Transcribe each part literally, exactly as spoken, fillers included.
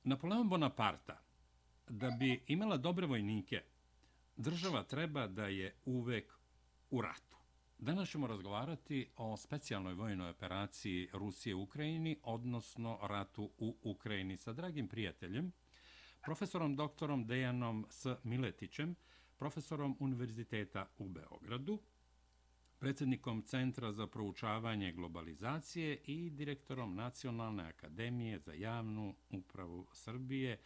Napoleon Bonaparta, da bi imala dobre vojnike, država treba da je uvek u ratu. Danas ćemo razgovarati o specijalnoj vojnoj operaciji Rusije u Ukrajini, odnosno ratu u Ukrajini sa dragim prijateljem, profesorom doktorom Dejanom S. Miletićem, profesorom Univerziteta u Beogradu, predsjednikom Centra za proučavanje globalizacije i direktorom Nacionalne akademije za javnu upravu Srbije.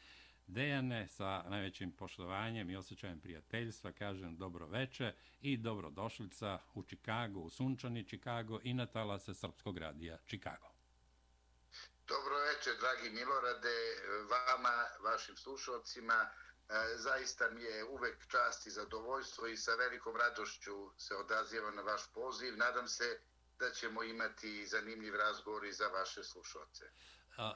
Dejane, sa najvećim poštovanjem i osjećajem prijateljstva, kažem dobro veče i dobrodošlica u Čikago, u sunčani Čikago i na talase Srpskog radija Čikago. Dobro večer, dragi Milorade, vama, vašim slušalcima. Zaista mi je uvek čast i zadovoljstvo i sa velikom radošću se odazivam na vaš poziv. Nadam se da ćemo imati zanimljiv razgovor i za vaše slušalce.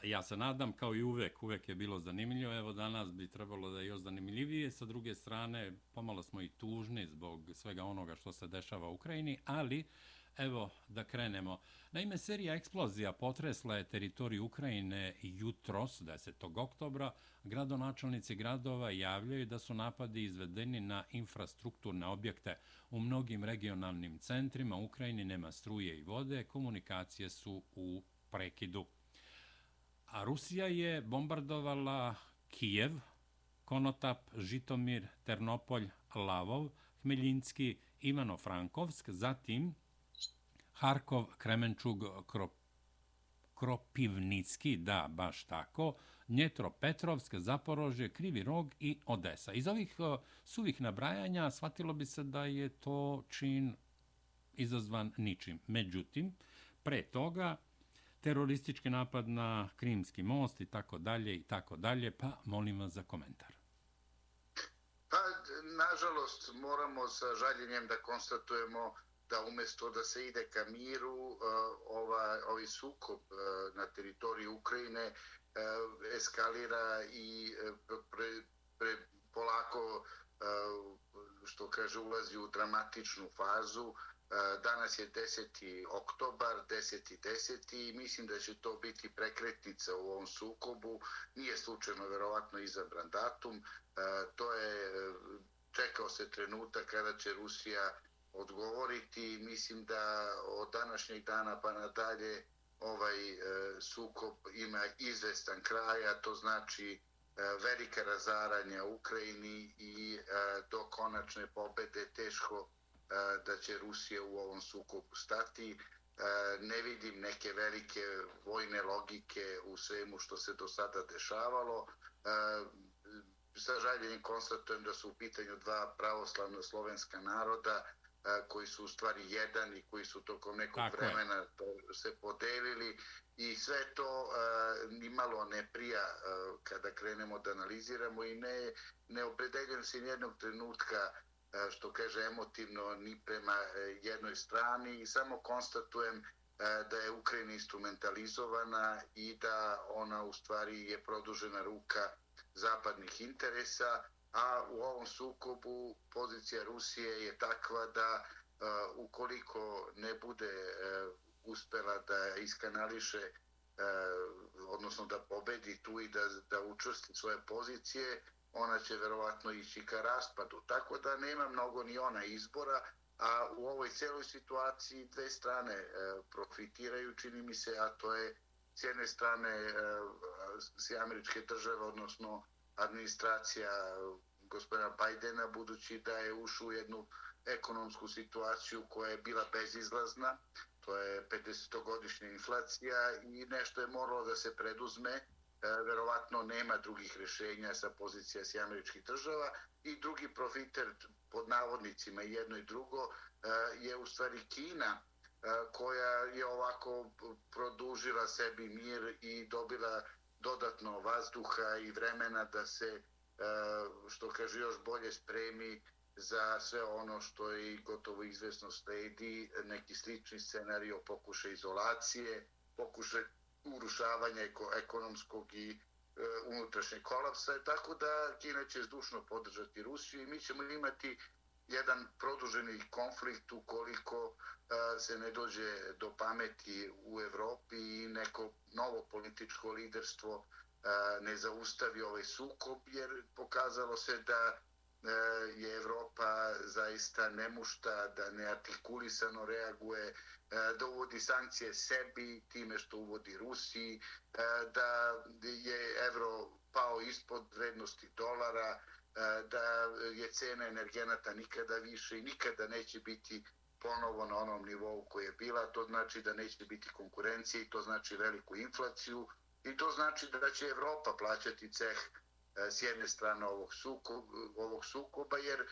Ja se nadam, kao i uvek, uvek je bilo zanimljivo. Evo danas bi trebalo da je još zanimljivije. Sa druge strane, pomalo smo i tužni zbog svega onoga što se dešava u Ukrajini, ali evo da krenemo. Naime, serija eksplozija potresla je teritoriju Ukrajine jutros, desetog oktobra. Gradonačelnici gradova javljaju da su napadi izvedeni na infrastrukturne objekte. U mnogim regionalnim centrima Ukrajini nema struje i vode, komunikacije su u prekidu. A Rusija je bombardovala Kijev, Konotap, Žitomir, Ternopolj, Lavov, Hmeljinski, Ivano-Frankovsk, zatim Harkov, Kremenčug, Krop, Kropivnicki, da, baš tako, Dnjetropetrovsk, Zaporožje, Krivi Rog i Odesa. Iz ovih uh, suvih nabrajanja shvatilo bi se da je to čin izazvan ničim. Međutim, pre toga teroristički napad na Krimski most i tako dalje i tako dalje, pa molim vas za komentar. Pa, nažalost, moramo sa žaljenjem da konstatujemo da umjesto da se ide ka miru, ova, ovaj sukob na teritoriji Ukrajine eskalira i pre, pre, polako, što kaže, ulazi u dramatičnu fazu. Danas je deseti oktobar, deseti deseti i mislim da će to biti prekretnica u ovom sukobu. Nije slučajno verovatno izabran datum. To je, čekao se trenutak kada će Rusija odgovoriti. Mislim da od današnjeg dana pa nadalje ovaj sukob ima izvestan kraj, a to znači velika razaranja u Ukrajini i do konačne pobede teško da će Rusija u ovom sukobu stati. Ne vidim neke velike vojne logike u svemu što se do sada dešavalo. Sa žaljenjem konstatujem da su u pitanju dva pravoslavna slovenska naroda koji su u stvari jedan i koji su tokom nekog Tako vremena se podelili i sve to nimalo ne prija kada krenemo da analiziramo i ne, ne opredeljujem se nijednog trenutka, što kaže, emotivno ni prema jednoj strani i samo konstatujem da je Ukrajina instrumentalizovana i da ona u stvari je produžena ruka zapadnih interesa, a u ovom sukobu pozicija Rusije je takva da ukoliko ne bude uspela da iskanališe, odnosno da pobedi tu i da, da učvrsti svoje pozicije, ona će verovatno ići ka raspadu. Tako da nema mnogo ni ona izbora, a u ovoj celoj situaciji dve strane e, profitiraju, čini mi se, a to je s jedne strane e, s američke države, odnosno administracija gospodina Bajdena, budući da je ušao u jednu ekonomsku situaciju koja je bila bezizlazna, to je pedesetogodišnja inflacija i nešto je moralo da se preduzme. Verovatno nema drugih rješenja sa pozicija s američkih država i drugi profiter, pod navodnicima jedno i drugo, je u stvari Kina, koja je ovako produžila sebi mir i dobila dodatno vazduha i vremena da se, što kaže, još bolje spremi za sve ono što je gotovo izvesno sledi, neki slični scenario, pokušaj izolacije, pokušaj urušavanja ekonomskog i e, unutrašnjeg kolapsa, tako da Kina će zdušno podržati Rusiju i mi ćemo imati jedan produženi konflikt ukoliko e, se ne dođe do pameti u Evropi i neko novo političko liderstvo ne zaustavi ovaj sukob, jer pokazalo se da je Evropa zaista nemušta, da neartikulisano reaguje, da uvodi sankcije sebi time što uvodi Rusiji, da je evro pao ispod vrednosti dolara, da je cena energenata nikada više i nikada neće biti ponovo na onom nivou koji je bila. To znači da neće biti konkurencije i to znači veliku inflaciju i to znači da će Evropa plaćati ceh s jedne strane ovog sukoba, ovog sukoba jer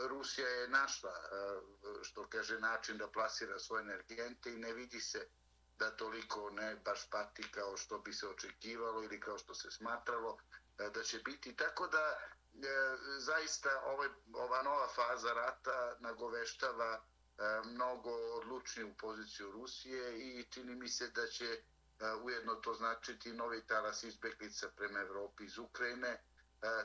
Rusija je našla, što kaže, način da plasira svoje energente i ne vidi se da toliko ne baš pati kao što bi se očekivalo ili kao što se smatralo da će biti. Tako da zaista ovaj, ova nova faza rata nagoveštava mnogo odlučniju poziciju Rusije i čini mi se da će ujedno to značiti novi talas izbeglica prema Evropi iz Ukrajine.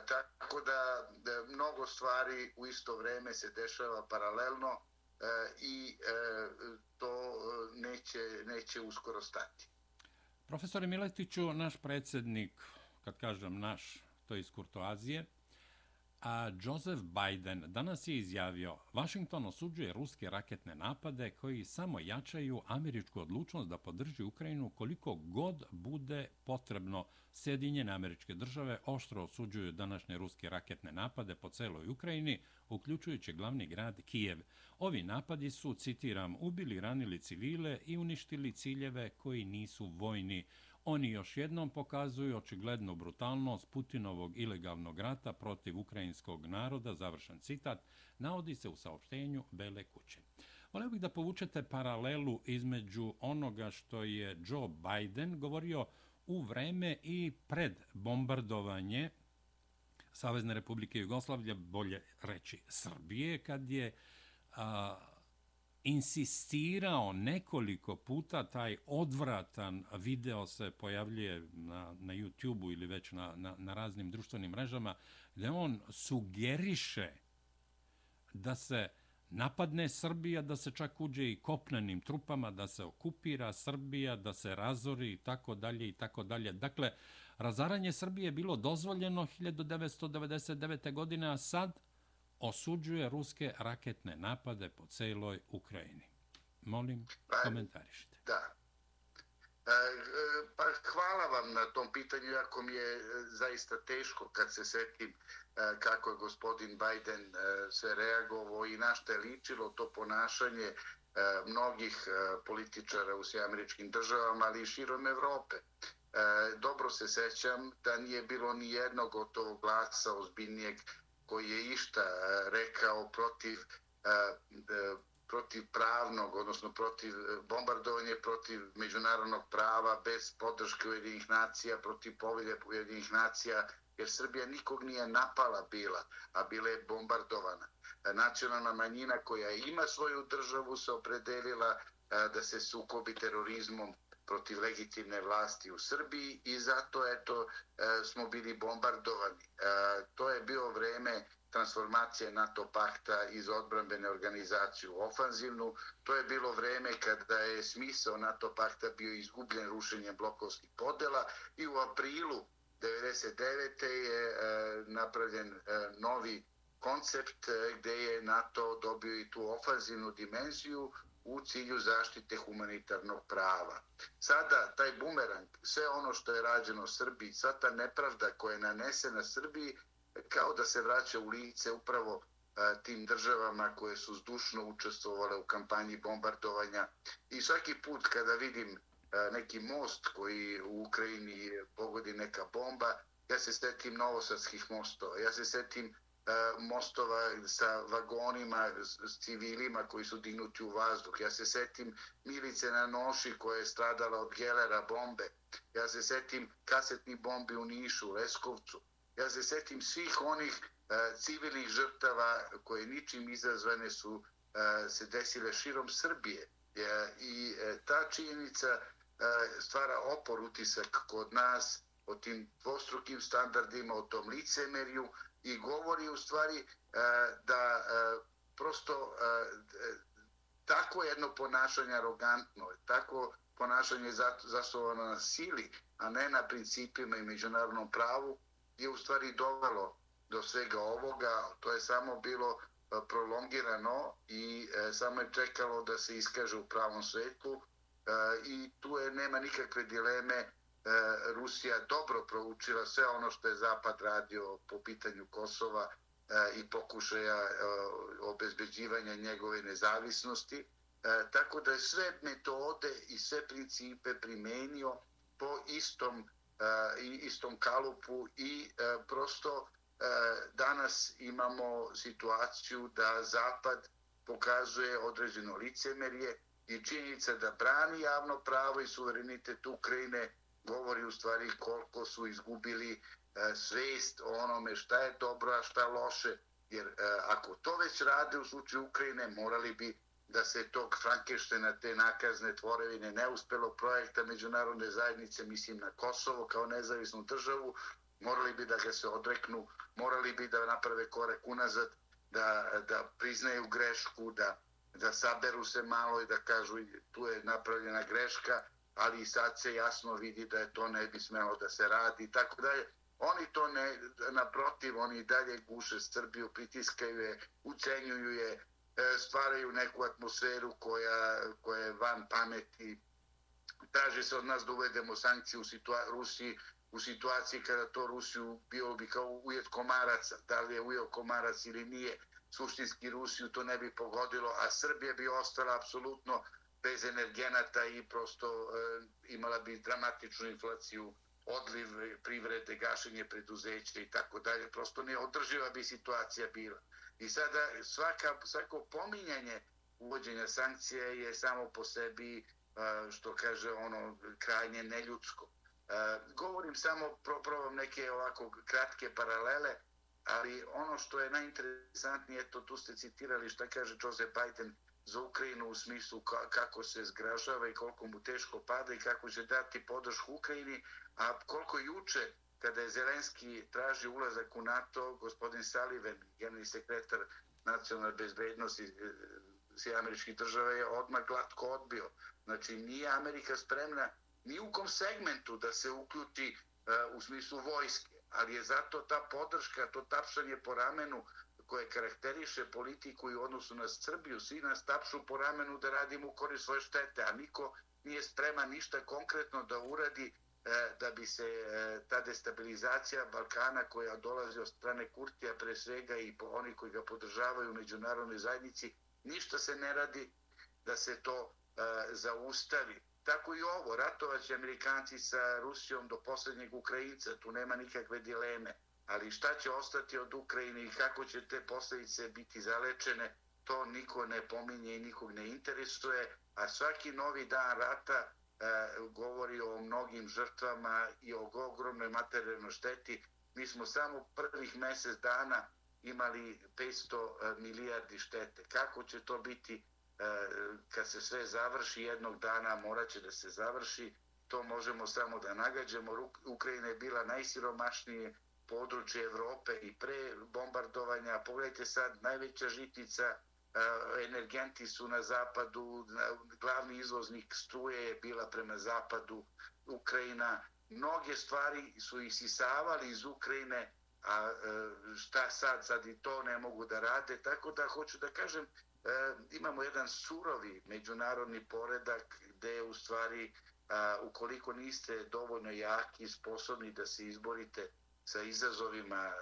Tako da mnogo stvari u isto vreme se dešava paralelno i to neće, neće uskoro stati. Profesore Miletiću, naš predsjednik, kad kažem naš, to je iz kurtoazije, a Joseph Biden danas je izjavio: Washington osuđuje ruske raketne napade koji samo jačaju američku odlučnost da podrži Ukrajinu koliko god bude potrebno. Sjedinjene Američke Države oštro osuđuju današnje ruske raketne napade po celoj Ukrajini, uključujući glavni grad Kijev. Ovi napadi su, citiram, ubili, ranili civile i uništili ciljeve koji nisu vojni. Oni još jednom pokazuju očiglednu brutalnost Putinovog ilegalnog rata protiv ukrajinskog naroda, završen citat, navodi se u saopštenju Bele kuće. Voleo bih da povučete paralelu između onoga što je Joe Biden govorio u vreme i pred bombardovanje Savezne Republike Jugoslavije, bolje reći Srbije, kad je a, insistirao nekoliko puta, taj odvratan video se pojavljuje na, na YouTube-u ili već na, na, na raznim društvenim mrežama, gdje on sugeriše da se napadne Srbija, da se čak uđe i kopnenim trupama, da se okupira Srbija, da se razori i tako dalje i tako dalje. Dakle, razaranje Srbije je bilo dozvoljeno hiljadu devetsto devedeset devete. godine, a sad osuđuje ruske raketne napade po celoj Ukrajini. Molim, komentarišite. Da. Pa hvala vam na tom pitanju, jako mi je zaista teško kad se setim kako je gospodin Biden sve reagovao i na što je ličilo to ponašanje mnogih političara u Sjedinjenim Američkim Državama, ali i širom Evrope. Dobro se sećam da nije bilo ni jednog gotovog glasa ozbiljnijeg koji je išta rekao protiv protiv pravnog, odnosno protiv bombardovanja, protiv međunarodnog prava, bez podrške Ujedinjenih nacija, protiv povelje Ujedinjenih nacija, jer Srbija nikog nije napala bila, a bila je bombardovana. Nacionalna manjina koja ima svoju državu se opredelila da se sukobi terorizmom protiv legitimne vlasti u Srbiji i zato eto smo bili bombardovani. To je bio vreme transformacije NATO pakta iz odbrambene organizacije u ofanzivnu. To je bilo vreme kada je smisao NATO pakta bio izgubljen rušenjem blokovskih podela i u aprilu devedeset devete. je napravljen novi koncept gdje je NATO dobio i tu ofanzivnu dimenziju u cilju zaštite humanitarnog prava. Sada taj bumerang, sve ono što je rađeno Srbiji, sva ta nepravda koja je nanesena Srbiji, kao da se vraća u lice upravo tim državama koje su zdušno učestvovale u kampanji bombardovanja. I svaki put kada vidim neki most koji u Ukrajini pogodi neka bomba, ja se setim novosadskih mostova, ja se setim mostova sa vagonima, s civilima koji su dignuti u vazduh. Ja se setim Milice na Noši koja je stradala od Gelera bombe. Ja se setim kasetnih bombi u Nišu, Leskovcu. Ja se setim svih onih uh, civilnih žrtava koje ničim izazvane su uh, se desile širom Srbije. Uh, I uh, ta činjenica uh, stvara opor utisak kod nas o tim dvostrukim standardima, o tom licemerju i govori u stvari uh, da uh, prosto uh, tako jedno ponašanje arogantno, tako ponašanje zasnovano na sili a ne na principima i međunarodnom pravu, je u stvari dovelo do svega ovoga. To je samo bilo prolongirano i samo je čekalo da se iskaže u pravom svetlu i tu je, nema nikakve dileme, Rusija dobro proučila sve ono što je Zapad radio po pitanju Kosova i pokušaja obezbeđivanja njegove nezavisnosti, tako da je sve metode i sve principe primenio po istom, istom kalupu i prosto danas imamo situaciju da Zapad pokazuje određeno licemerje i činjenica da brani javno pravo i suverenitet Ukrajine govori u stvari koliko su izgubili svest o onome šta je dobro, a šta loše. Jer ako to već rade u slučaju Ukrajine, morali bi da se tog Frankensteina, te nakazne tvorevine, neuspelog projekta međunarodne zajednice, mislim na Kosovo kao nezavisnu državu, morali bi da ga se odreknu, morali bi da naprave korak unazad, da, da priznaju grešku, da, da saberu se malo i da kažu tu je napravljena greška, ali i sad se jasno vidi da je to ne bi smelo da se radi i tako dalje. Oni to ne, naprotiv, oni dalje guše Srbiju, pritiskaju je, ucenjuju je, stvaraju neku atmosferu koja, koja je van pameti. Traži se od nas da uvedemo sankcije u situa- Rusiji u situaciji kada to Rusiju bilo bi kao ujet komaraca. Da li je ujeo komarac ili nije, suštinski Rusiju to ne bi pogodilo, a Srbija bi ostala apsolutno bez energenata i prosto e, imala bi dramatičnu inflaciju, odliv privrede, gašenje preduzeća i tako dalje. Prosto neodrživa bi situacija bila. I sada svaka, svako pominjanje uvođenja sankcija je samo po sebi, što kaže ono, krajnje neljudsko. Govorim samo, probam neke ovako kratke paralele, ali ono što je najinteresantnije, eto tu ste citirali šta kaže Joseph Biden za Ukrajinu u smislu kako se zgražava i koliko mu teško pada i kako će dati podršku Ukrajini, a koliko juče kada je Zelenski traži ulazak u NATO, gospodin Sullivan, generalni sekretar nacionalne bezbednosti Sjedinjenih Američkih Država, je odmah glatko odbio. Znači, nije Amerika spremna ni u kom segmentu da se uključi uh, u smislu vojske, ali je zato ta podrška, to tapšanje po ramenu koje karakteriše politiku i u odnosu na Srbiju, svi nas tapšu po ramenu da radimo u korist svoje štete, a niko nije spreman ništa konkretno da uradi da bi se ta destabilizacija Balkana koja dolazi od strane Kurtija pre svega i oni koji ga podržavaju u međunarodnoj zajednici, ništa se ne radi da se to zaustavi. Tako i ovo, ratovaće Amerikanci sa Rusijom do posljednjeg Ukrajinca, tu nema nikakve dileme, ali šta će ostati od Ukrajine i kako će te posljedice biti zalečene, to niko ne pominje i nikog ne interesuje, a svaki novi dan rata govori o mnogim žrtvama i o ogromnoj materijalnoj šteti. Mi smo samo prvih mjesec dana imali petsto milijardi štete. Kako će to biti kad se sve završi jednog dana, morat će da se završi, to možemo samo da nagađamo. Ukrajina je bila najsiromašnije područje Evrope i pre bombardovanja. Pogledajte sad, najveća žitnica, energenti su na zapadu, glavni izvoznik struje je bila prema zapadu, Ukrajina. Mnoge stvari su isisavali iz Ukrajine, a šta sad, sad i to ne mogu da rade. Tako da hoću da kažem, imamo jedan surovi međunarodni poredak gde u stvari, ukoliko niste dovoljno jaki i sposobni da se izborite sa izazovima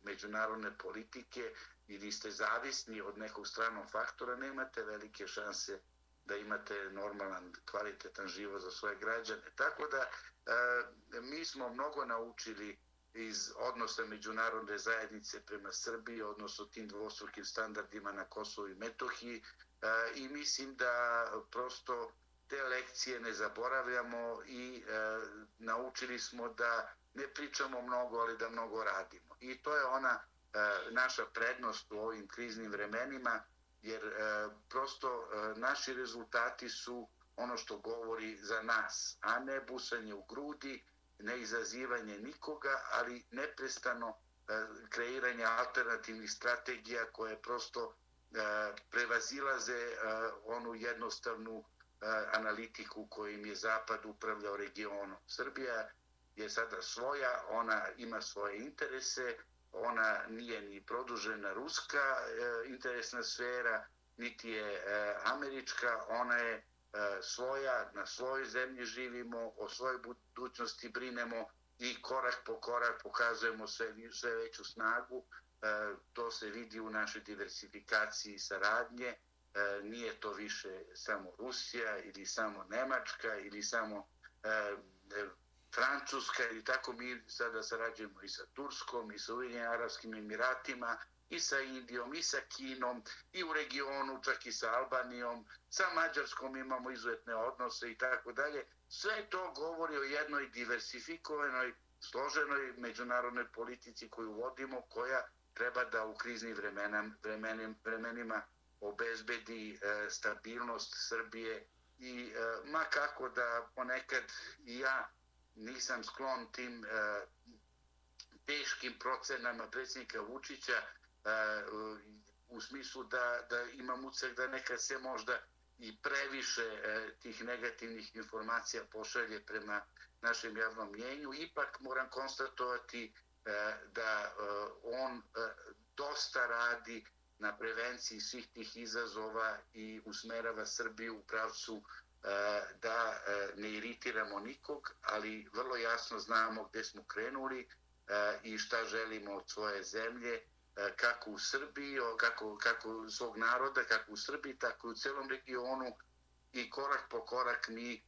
međunarodne politike ili ste zavisni od nekog stranog faktora, nemate velike šanse da imate normalan, kvalitetan život za svoje građane. Tako da e, mi smo mnogo naučili iz odnosa međunarodne zajednice prema Srbiji, odnosno tim dvostrukim standardima na Kosovu i Metohiji, e, i mislim da prosto te lekcije ne zaboravljamo i e, naučili smo da ne pričamo mnogo, ali da mnogo radimo. I to je ona e, naša prednost u ovim kriznim vremenima, jer e, prosto e, naši rezultati su ono što govori za nas, a ne busanje u grudi, ne izazivanje nikoga, ali neprestano e, kreiranje alternativnih strategija koje prosto e, prevazilaze e, onu jednostavnu analitiku kojim je Zapad upravljao regionom. Srbija je sada svoja, ona ima svoje interese, ona nije ni produžena ruska interesna sfera, niti je američka, ona je svoja, na svojoj zemlji živimo, o svojoj budućnosti brinemo i korak po korak pokazujemo sve, sve veću snagu. To se vidi u našoj diversifikaciji saradnje. Nije to više samo Rusija ili samo Nemačka ili samo Francuska ili tako. Mi sada sarađujemo i sa Turskom i sa Ujedinjenim Arapskim Emiratima i sa Indijom i sa Kinom i u regionu čak i sa Albanijom, sa Mađarskom imamo izuzetne odnose i tako dalje. Sve to govori o jednoj diversifikovanoj, složenoj međunarodnoj politici koju vodimo, koja treba da u kriznim vremenima, vremenima obezbedi e, stabilnost Srbije i e, ma kako da ponekad i ja nisam sklon tim e, teškim procenama predsjednika Vučića e, u smislu da, da imam utisak da nekad se možda i previše e, tih negativnih informacija pošalje prema našem javnom mnjenju. Ipak moram konstatovati e, da e, on e, dosta radi na prevenciji svih tih izazova i usmerava Srbiju u pravcu da ne iritiramo nikog, ali vrlo jasno znamo gdje smo krenuli i šta želimo od svoje zemlje, kako u Srbiji, kako, kako svog naroda, kako u Srbiji, tako i u celom regionu, i korak po korak mi,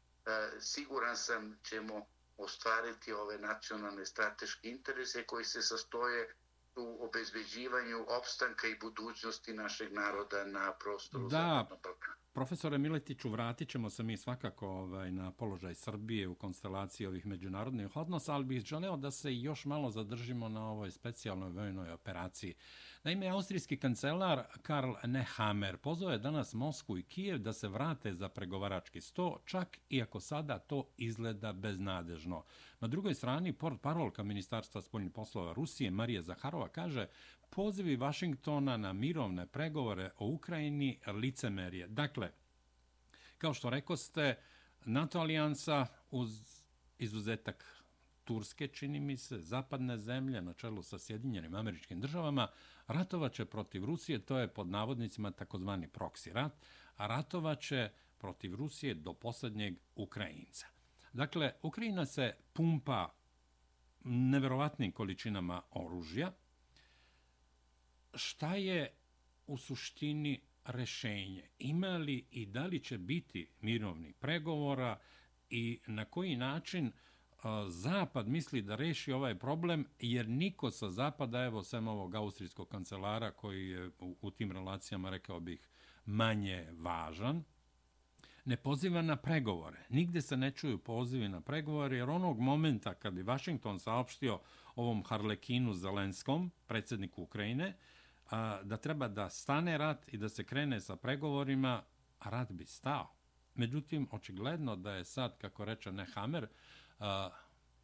siguran sam, ćemo ostvariti ove nacionalne strateške interese koji se sastoje u obezbeđivanju opstanka i budućnosti našeg naroda na prostoru Zapadnog Balkana. Profesore Miletiću, vratit ćemo se mi svakako ovaj, na položaj Srbije u konstelaciji ovih međunarodnih odnosa, ali bih želeo da se još malo zadržimo na ovoj specijalnoj vojnoj operaciji. Naime, austrijski kancelar Karl Nehammer pozvao je danas Moskvu i Kijev da se vrate za pregovarački sto, čak i ako sada to izgleda beznadežno. Na drugoj strani, portparolka Ministarstva spoljnih poslova Rusije Marija Zaharova kaže: pozivi Vašingtona na mirovne pregovore o Ukrajini licemerje. Dakle, kao što rekoste, NATO alijansa uz izuzetak Turske, čini mi se, zapadne zemlje na čelu sa Sjedinjenim Američkim Državama, ratovaće protiv Rusije, to je pod navodnicima takozvani proksi rat, a ratovaće protiv Rusije do posljednjeg Ukrajinca. Dakle, Ukrajina se pumpa neverovatnim količinama oružja. Šta je u suštini rešenje? Ima li i da li će biti mirovnih pregovora i na koji način Zapad misli da reši ovaj problem, jer niko sa Zapada, evo sem ovog austrijskog kancelara koji je u, u tim relacijama, rekao bih, manje važan, ne poziva na pregovore. Nigde se ne čuju pozivi na pregovore, jer onog momenta kad bi Vašington saopštio ovom Harlekinu Zelenskom, predsjedniku Ukrajine, da treba da stane rat i da se krene sa pregovorima, a rat bi stao. Međutim, očigledno da je sad, kako reče Nehammer,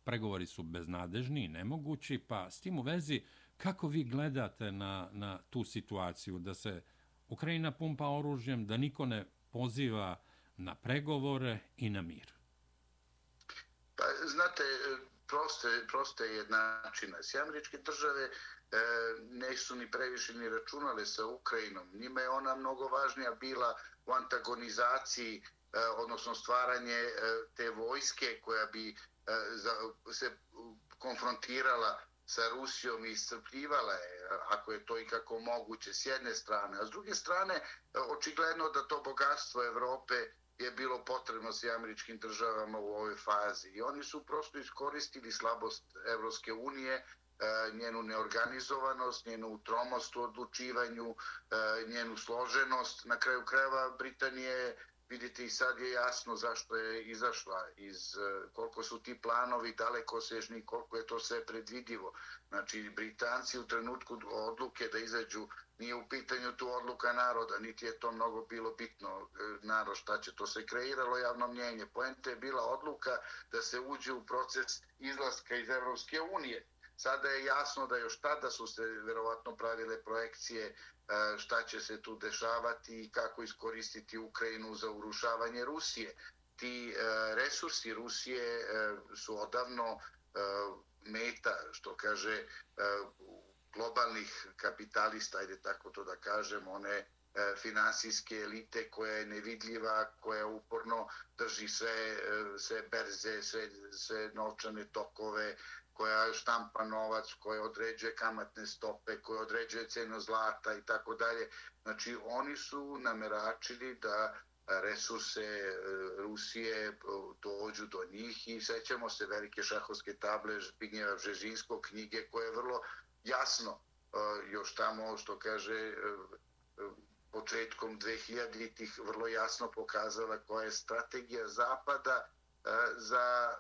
pregovori su beznadežni i nemogući, pa s tim u vezi, kako vi gledate na, na tu situaciju, da se Ukrajina pumpa oružjem, da niko ne poziva na pregovore i na mir? Pa, znate, proste, proste je načina. S američke države e, ne su ni previše ni računale sa Ukrajinom. Njima je ona mnogo važnija bila u antagonizaciji, e, odnosno stvaranje e, te vojske koja bi e, za, se konfrontirala sa Rusijom i iscrpljivala je, ako je to i kako moguće, s jedne strane. A s druge strane, očigledno da to bogatstvo Evrope je bilo potrebno s američkim državama u ovoj fazi. I oni su prosto iskoristili slabost Evropske unije, njenu neorganizovanost, njenu tromost u odlučivanju, njenu složenost. Na kraju krajeva Britanije, vidite, i sad je jasno zašto je izašla, iz koliko su ti planovi dalekosežni, koliko je to sve predvidivo. Znači, Britanci u trenutku odluke da izađu, nije u pitanju tu odluka naroda, niti je to mnogo bilo bitno, narod šta će, to se kreiralo javno mnjenje. Poenta je bila odluka da se uđe u proces izlaska iz Evropske unije. Sada je jasno da još tada su se verovatno pravile projekcije šta će se tu dešavati i kako iskoristiti Ukrajinu za urušavanje Rusije. Ti resursi Rusije su odavno meta, što kaže, globalnih kapitalista, ajde tako to da kažem, one finansijske elite koja je nevidljiva, koja uporno drži sve, sve berze, sve, sve novčane tokove, koja štampa novac, koja određuje kamatne stope, koja određuje cenu zlata i tako dalje. Znači, oni su nameračili da resurse Rusije dođu do njih i sećamo se velike šahovske table Zbignjeva Bžežinskog, knjige koje je vrlo jasno, još tamo što kaže početkom dvehiljaditih vrlo jasno pokazala koja je strategija Zapada za,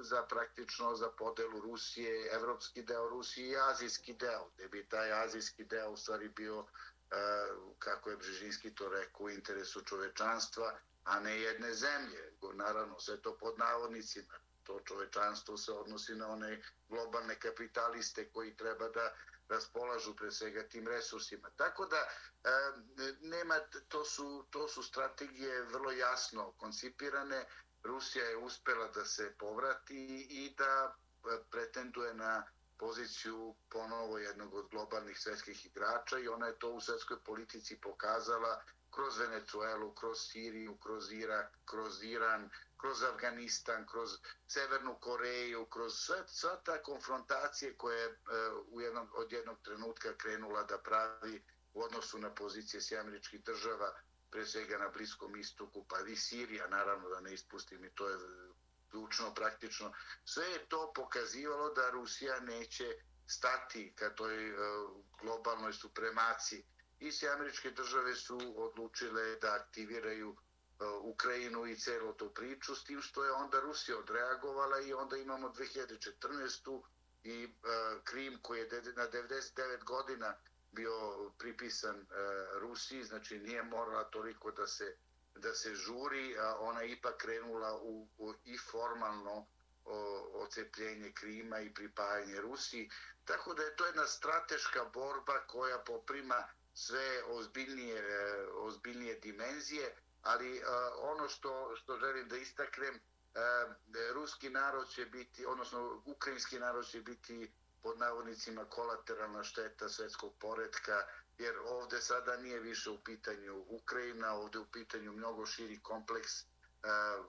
za praktično za podelu Rusije, evropski deo Rusije i azijski deo, gde bi taj azijski deo u stvari bio, kako je Bžežinski to rekao, u interesu čovečanstva, a ne jedne zemlje. Naravno, sve to pod navodnicima. To čovečanstvo se odnosi na one globalne kapitaliste koji treba da raspolažu pre svega tim resursima. Tako da nema, to su, to su strategije vrlo jasno koncipirane. Rusija je uspela da se povrati i da pretenduje na poziciju ponovo jednog od globalnih svetskih igrača i ona je to u svetskoj politici pokazala kroz Venecuelu, kroz Siriju, kroz Irak, kroz Iran, kroz Afganistan, kroz Severnu Koreju, kroz sve, sve ta konfrontacije koje je u jednom, od jednog trenutka krenula da pravi u odnosu na pozicije Sjedinjenih Američkih Država, pre svega na Bliskom istoku, pa i Sirija, naravno da ne ispustim, i to je ključno, praktično. Sve je to pokazivalo da Rusija neće stati ka toj globalnoj supremaciji. I Sjedinjene Američke Države su odlučile da aktiviraju Ukrajinu i celu tu priču, s tim što je onda Rusija odreagovala i onda imamo dve hiljade četrnaestu. i Krim koji je na devedeset devet godina bio pripisan Rusiji, znači nije morala toliko da se, da se žuri, a ona je ipak krenula u, u i formalno ocepljenje Krima i pripajanje Rusiji. Tako da je to jedna strateška borba koja poprima sve ozbiljnije, ozbiljnije dimenzije, ali ono što, što želim da istaknem, ruski narod će biti, odnosno ukrajinski narod će biti pod navodnicima kolateralna šteta svetskog poretka, jer ovde sada nije više u pitanju Ukrajina, ovde u pitanju mnogo širi kompleks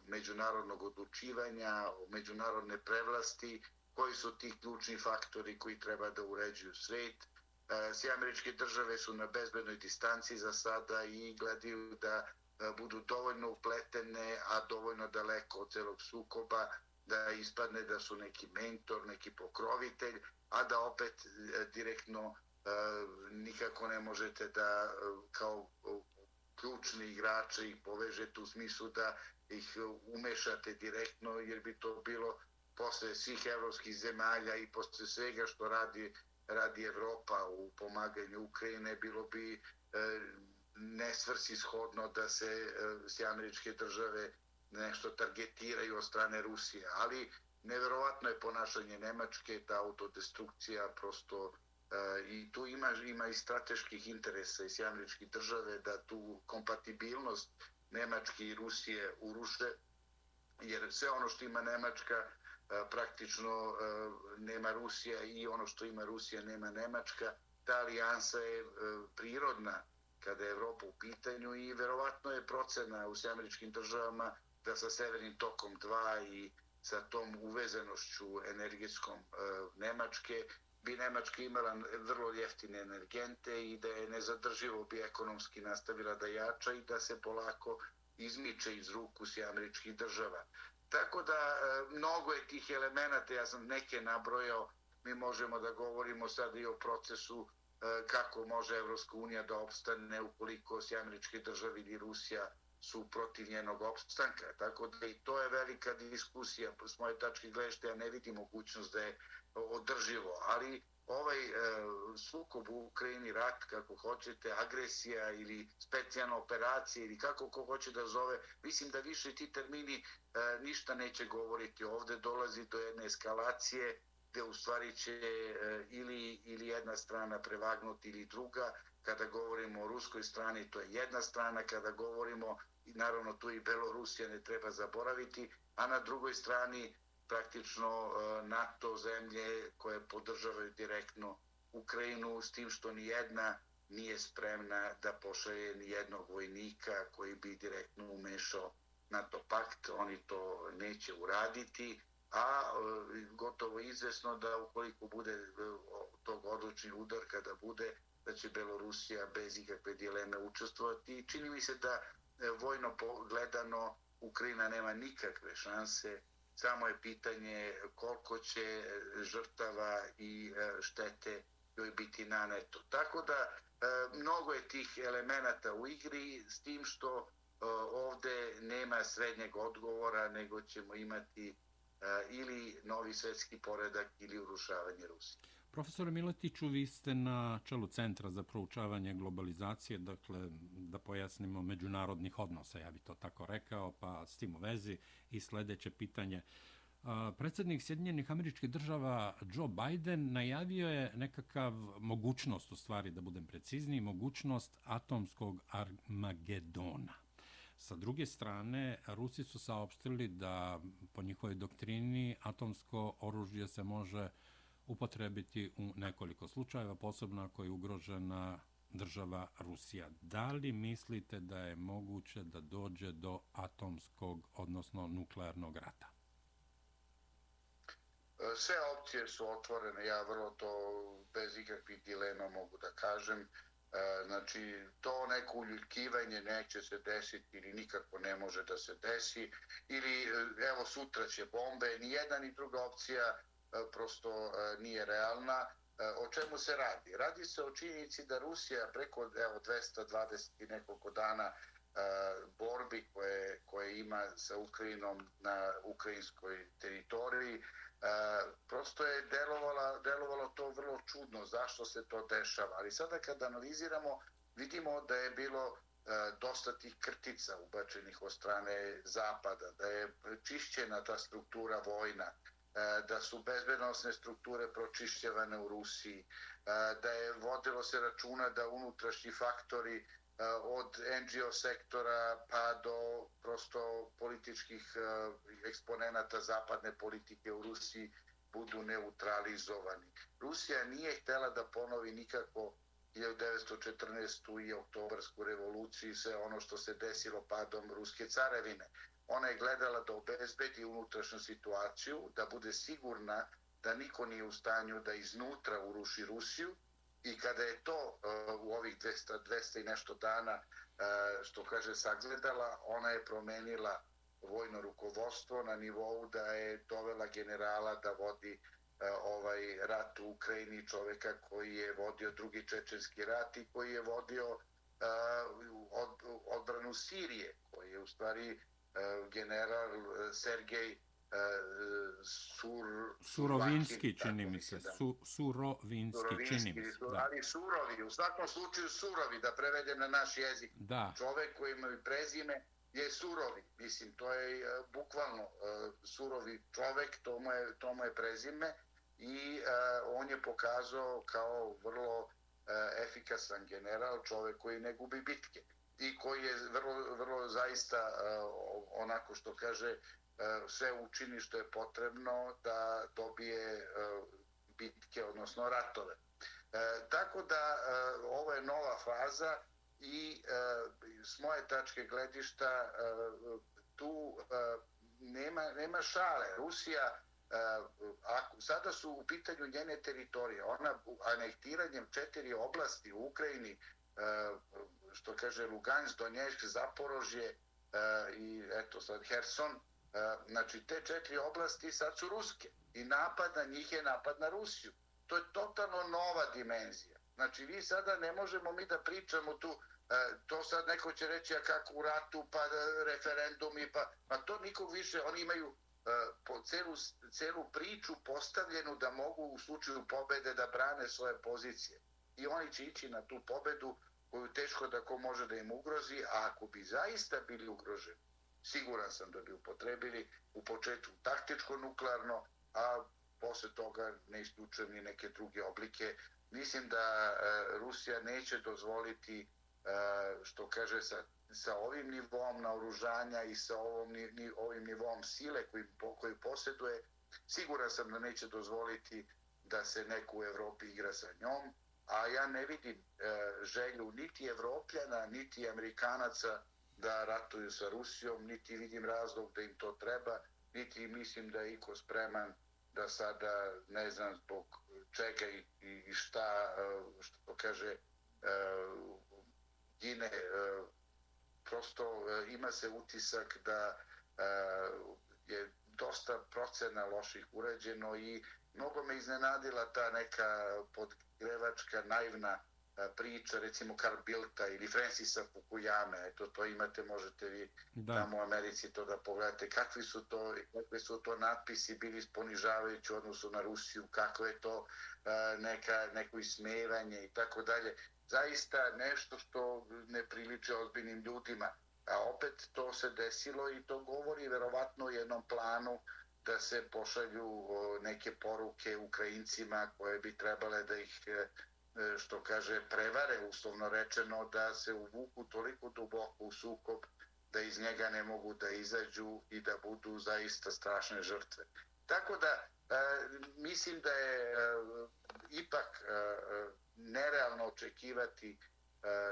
međunarodnog odlučivanja, međunarodne prevlasti, koji su ti ključni faktori koji treba da uređuju svet. Sjedinjene Američke Države su na bezbednoj distanci za sada i gledaju da budu dovoljno upletene, a dovoljno daleko od celog sukoba, da ispadne da su neki mentor, neki pokrovitelj, a da opet direktno nikako ne možete da kao ključni igrači ih povežete u smislu da ih umešate direktno, jer bi to bilo posle svih evropskih zemalja i posle svega što radi, radi Evropa u pomaganju Ukrajine, bilo bi nesvrsishodno da se Sjedinjene Američke Države nešto targetiraju od strane Rusije. Ali neverovatno je ponašanje Nemačke, ta autodestrukcija prosto, i tu ima, ima i strateških interesa iz Sjedinjenih Američkih Države da tu kompatibilnost Nemačke i Rusije uruše, jer sve ono što ima Nemačka praktično nema Rusija i ono što ima Rusija nema Nemačka. Ta alijansa je prirodna kada je Evropa u pitanju i verovatno je procena u Sjedinjenim Američkim Državama da sa Severnim tokom dva i sa tom uvezanošću energetskom Nemačke bi Nemačka imala vrlo jeftine energente i da je nezadrživo bi ekonomski nastavila da jača i da se polako izmiče iz ruku Sjedinjenih Američkih Država. Tako da mnogo je tih elemenata, ja sam neke nabrojao, mi možemo da govorimo sad i o procesu kako može Evropska unija da opstane ukoliko Sjedinjene Američke Države ili Rusija su protiv njenog opstanka. Tako da i to je velika diskusija. S moje tačke gledišta ja ne vidim mogućnost da je održivo, ali ovaj e, sukob u Ukrajini, rat, kako hoćete, agresija ili specijalna operacija ili kako ko hoće da zove, mislim da više ti termini e, ništa neće govoriti. Ovde dolazi do jedne eskalacije gde u stvari će ili, ili jedna strana prevagnuti ili druga. Kada govorimo o ruskoj strani, to je jedna strana, kada govorimo, i naravno tu i Belorusija ne treba zaboraviti, a na drugoj strani praktično NATO zemlje koje podržavaju direktno Ukrajinu, s tim što ni jedna nije spremna da pošalje ni jednog vojnika koji bi direktno umešao NATO pakt. Oni to neće uraditi, a gotovo izvesno da ukoliko bude tog odlučni udar kada bude, da će Belorusija bez ikakve dileme učestvovati. Čini mi se da vojno gledano Ukrajina nema nikakve šanse, samo je pitanje koliko će žrtava i štete joj biti naneto. Tako da mnogo je tih elemenata u igri, s tim što ovde nema srednjeg odgovora, nego ćemo imati ili novi svetski poredak ili urušavanje Rusije. Profesore Miletiću, vi ste na čelu Centra za proučavanje globalizacije, dakle, da pojasnimo, međunarodnih odnosa, ja bih to tako rekao, pa s tim u vezi i sledeće pitanje. Predsjednik Sjedinjenih Američkih Država Joe Biden najavio je nekakav mogućnost, u stvari da budem precizniji, mogućnost atomskog Armagedona. Sa druge strane, Rusi su saopštili da po njihovoj doktrini atomsko oružje se može upotrebiti u nekoliko slučajeva, posebno ako je ugrožena država Rusija. Da li mislite da je moguće da dođe do atomskog, odnosno nuklearnog rata? Sve opcije su otvorene, ja vrlo to bez ikakvih dilema mogu da kažem. Znači, to neko uljuljkivanje neće se desiti ili nikako ne može da se desi, ili evo sutra će bombe, ni jedna ni druga opcija prosto nije realna. O čemu se radi? Radi se o činjenici da Rusija preko evo, dvesta dvadeset i nekoliko dana borbi koje, koje ima sa Ukrajinom na ukrajinskoj teritoriji, prosto je delovalo, delovalo to vrlo čudno zašto se to dešava. Ali sada kad analiziramo, vidimo da je bilo dosta tih krtica ubačenih od strane Zapada, da je čišćena ta struktura vojna, da su bezbednosne strukture pročišćavane u Rusiji, da je vodilo se računa da unutrašnji faktori od en dži o sektora pa do prosto političkih eksponenata zapadne politike u Rusiji budu neutralizovani. Rusija nije htjela da ponovi nikako hiljadu devetsto četrnaestu i oktobarsku revoluciju i sve ono što se desilo padom Ruske carevine. Ona je gledala da obezbedi unutrašnju situaciju, da bude sigurna da niko nije u stanju da iznutra uruši Rusiju, i kada je to uh, u ovih dvesta, dvesta i nešto dana, uh, što kaže, sagledala, ona je promenila vojno rukovodstvo na nivou da je dovela generala da vodi uh, ovaj rat u Ukrajini, čoveka koji je vodio drugi čečenski rat i koji je vodio uh, od, odbranu Sirije, koji je u stvari uh, general Sergej Sur, Surovinski, čini mi se. Su, Surovinski, čini mi se. Da. Ali surovi, u svakom slučaju surovi, da prevedem na naš jezik. Da. Čovek koji ima prezime je surovi. Mislim, to je uh, bukvalno uh, surovi čovek, to mu je, to mu je prezime i uh, on je pokazao kao vrlo uh, efikasan general, čovek koji ne gubi bitke i koji je vrlo, vrlo zaista uh, onako što kaže sve učini što je potrebno da dobije bitke, odnosno ratove. Tako da ovo je nova faza i s moje tačke gledišta tu nema, nema šale. Rusija, ako, sada su u pitanju njene teritorije, ona anektiranjem četiri oblasti u Ukrajini, što kaže Lugansk, Donjeck, Zaporožje i eto sad Herson, znači te četiri oblasti sad su ruske i napad na njih je napad na Rusiju. To je totalno nova dimenzija. Znači vi sada ne možemo mi da pričamo tu, to sad neko će reći a kako u ratu pa referendumi, pa, pa to nikog više, oni imaju po celu, celu priču postavljenu da mogu u slučaju pobede da brane svoje pozicije. I oni će ići na tu pobedu koju teško da ko može da im ugrozi, a ako bi zaista bili ugroženi, siguran sam da bi upotrebili u početku taktičko nuklearno, a posle toga ne isključujem ni neke druge oblike. Mislim da Rusija neće dozvoliti, što kaže, sa, sa ovim nivom naoružanja i sa ovom, ni, ovim nivom sile koji, koji posjeduje, siguran sam da neće dozvoliti da se neko u Evropi igra sa njom, a ja ne vidim želju niti Evropljana, niti Amerikanaca da ratuju sa Rusijom, niti vidim razlog da im to treba, niti mislim da je iko spreman da sada, ne znam zbog čega i, i šta, što kaže, gine. Prosto ima se utisak da je dosta procena loših urađeno i mnogo me iznenadila ta neka podgrevačka, naivna priča, recimo Karl Bildta ili Francisa Fukuyame. Eto, to imate, možete vi da. Tamo u Americi to da pogledate. Kakvi su to, kakvi su to natpisi bili ponižavajući u odnosu na Rusiju, kako je to neka, neko ismevanje i tako dalje. Zaista nešto što ne priliče ozbiljnim ljudima. A opet to se desilo i to govori verovatno o jednom planu da se pošalju neke poruke Ukrajincima koje bi trebale da ih, što kaže, prevare, uslovno rečeno, da se uvuku toliko duboko u sukob da iz njega ne mogu da izađu i da budu zaista strašne žrtve. Tako da mislim da je ipak nerealno očekivati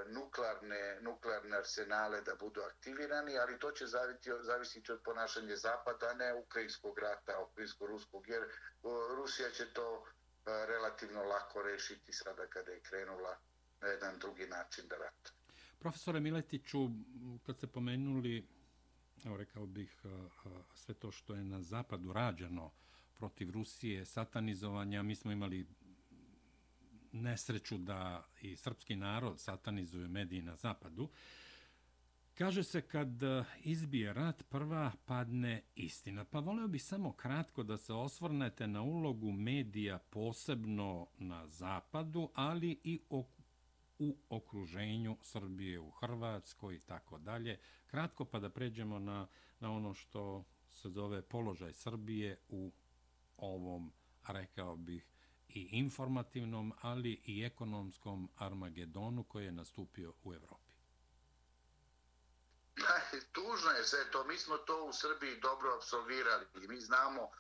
nuklearne, nuklearne arsenale da budu aktivirani, ali to će zavisiti, zavisiti od ponašanja Zapada, ne ukrajinskog rata, ukrajinsko-ruskog, jer Rusija će to relativno lako rešiti sada kada je krenula na jedan drugi način da rata. Profesore Miletiću, kad ste pomenuli, evo rekao bih, sve to što je na Zapadu rađeno protiv Rusije, satanizovanja, mi smo imali nesreću da i srpski narod satanizuju mediji na Zapadu. Kaže se kad izbije rat, prva padne istina. Pa voleo bih samo kratko da se osvrnete na ulogu medija posebno na Zapadu, ali i u okruženju Srbije, u Hrvatskoj i tako dalje. Kratko pa da pređemo na, na ono što se zove položaj Srbije u ovom, rekao bih, i informativnom, ali i ekonomskom Armagedonu koji je nastupio u Evropi. Tužno je sve to. Mi smo to u Srbiji dobro apsolvirali i mi znamo uh,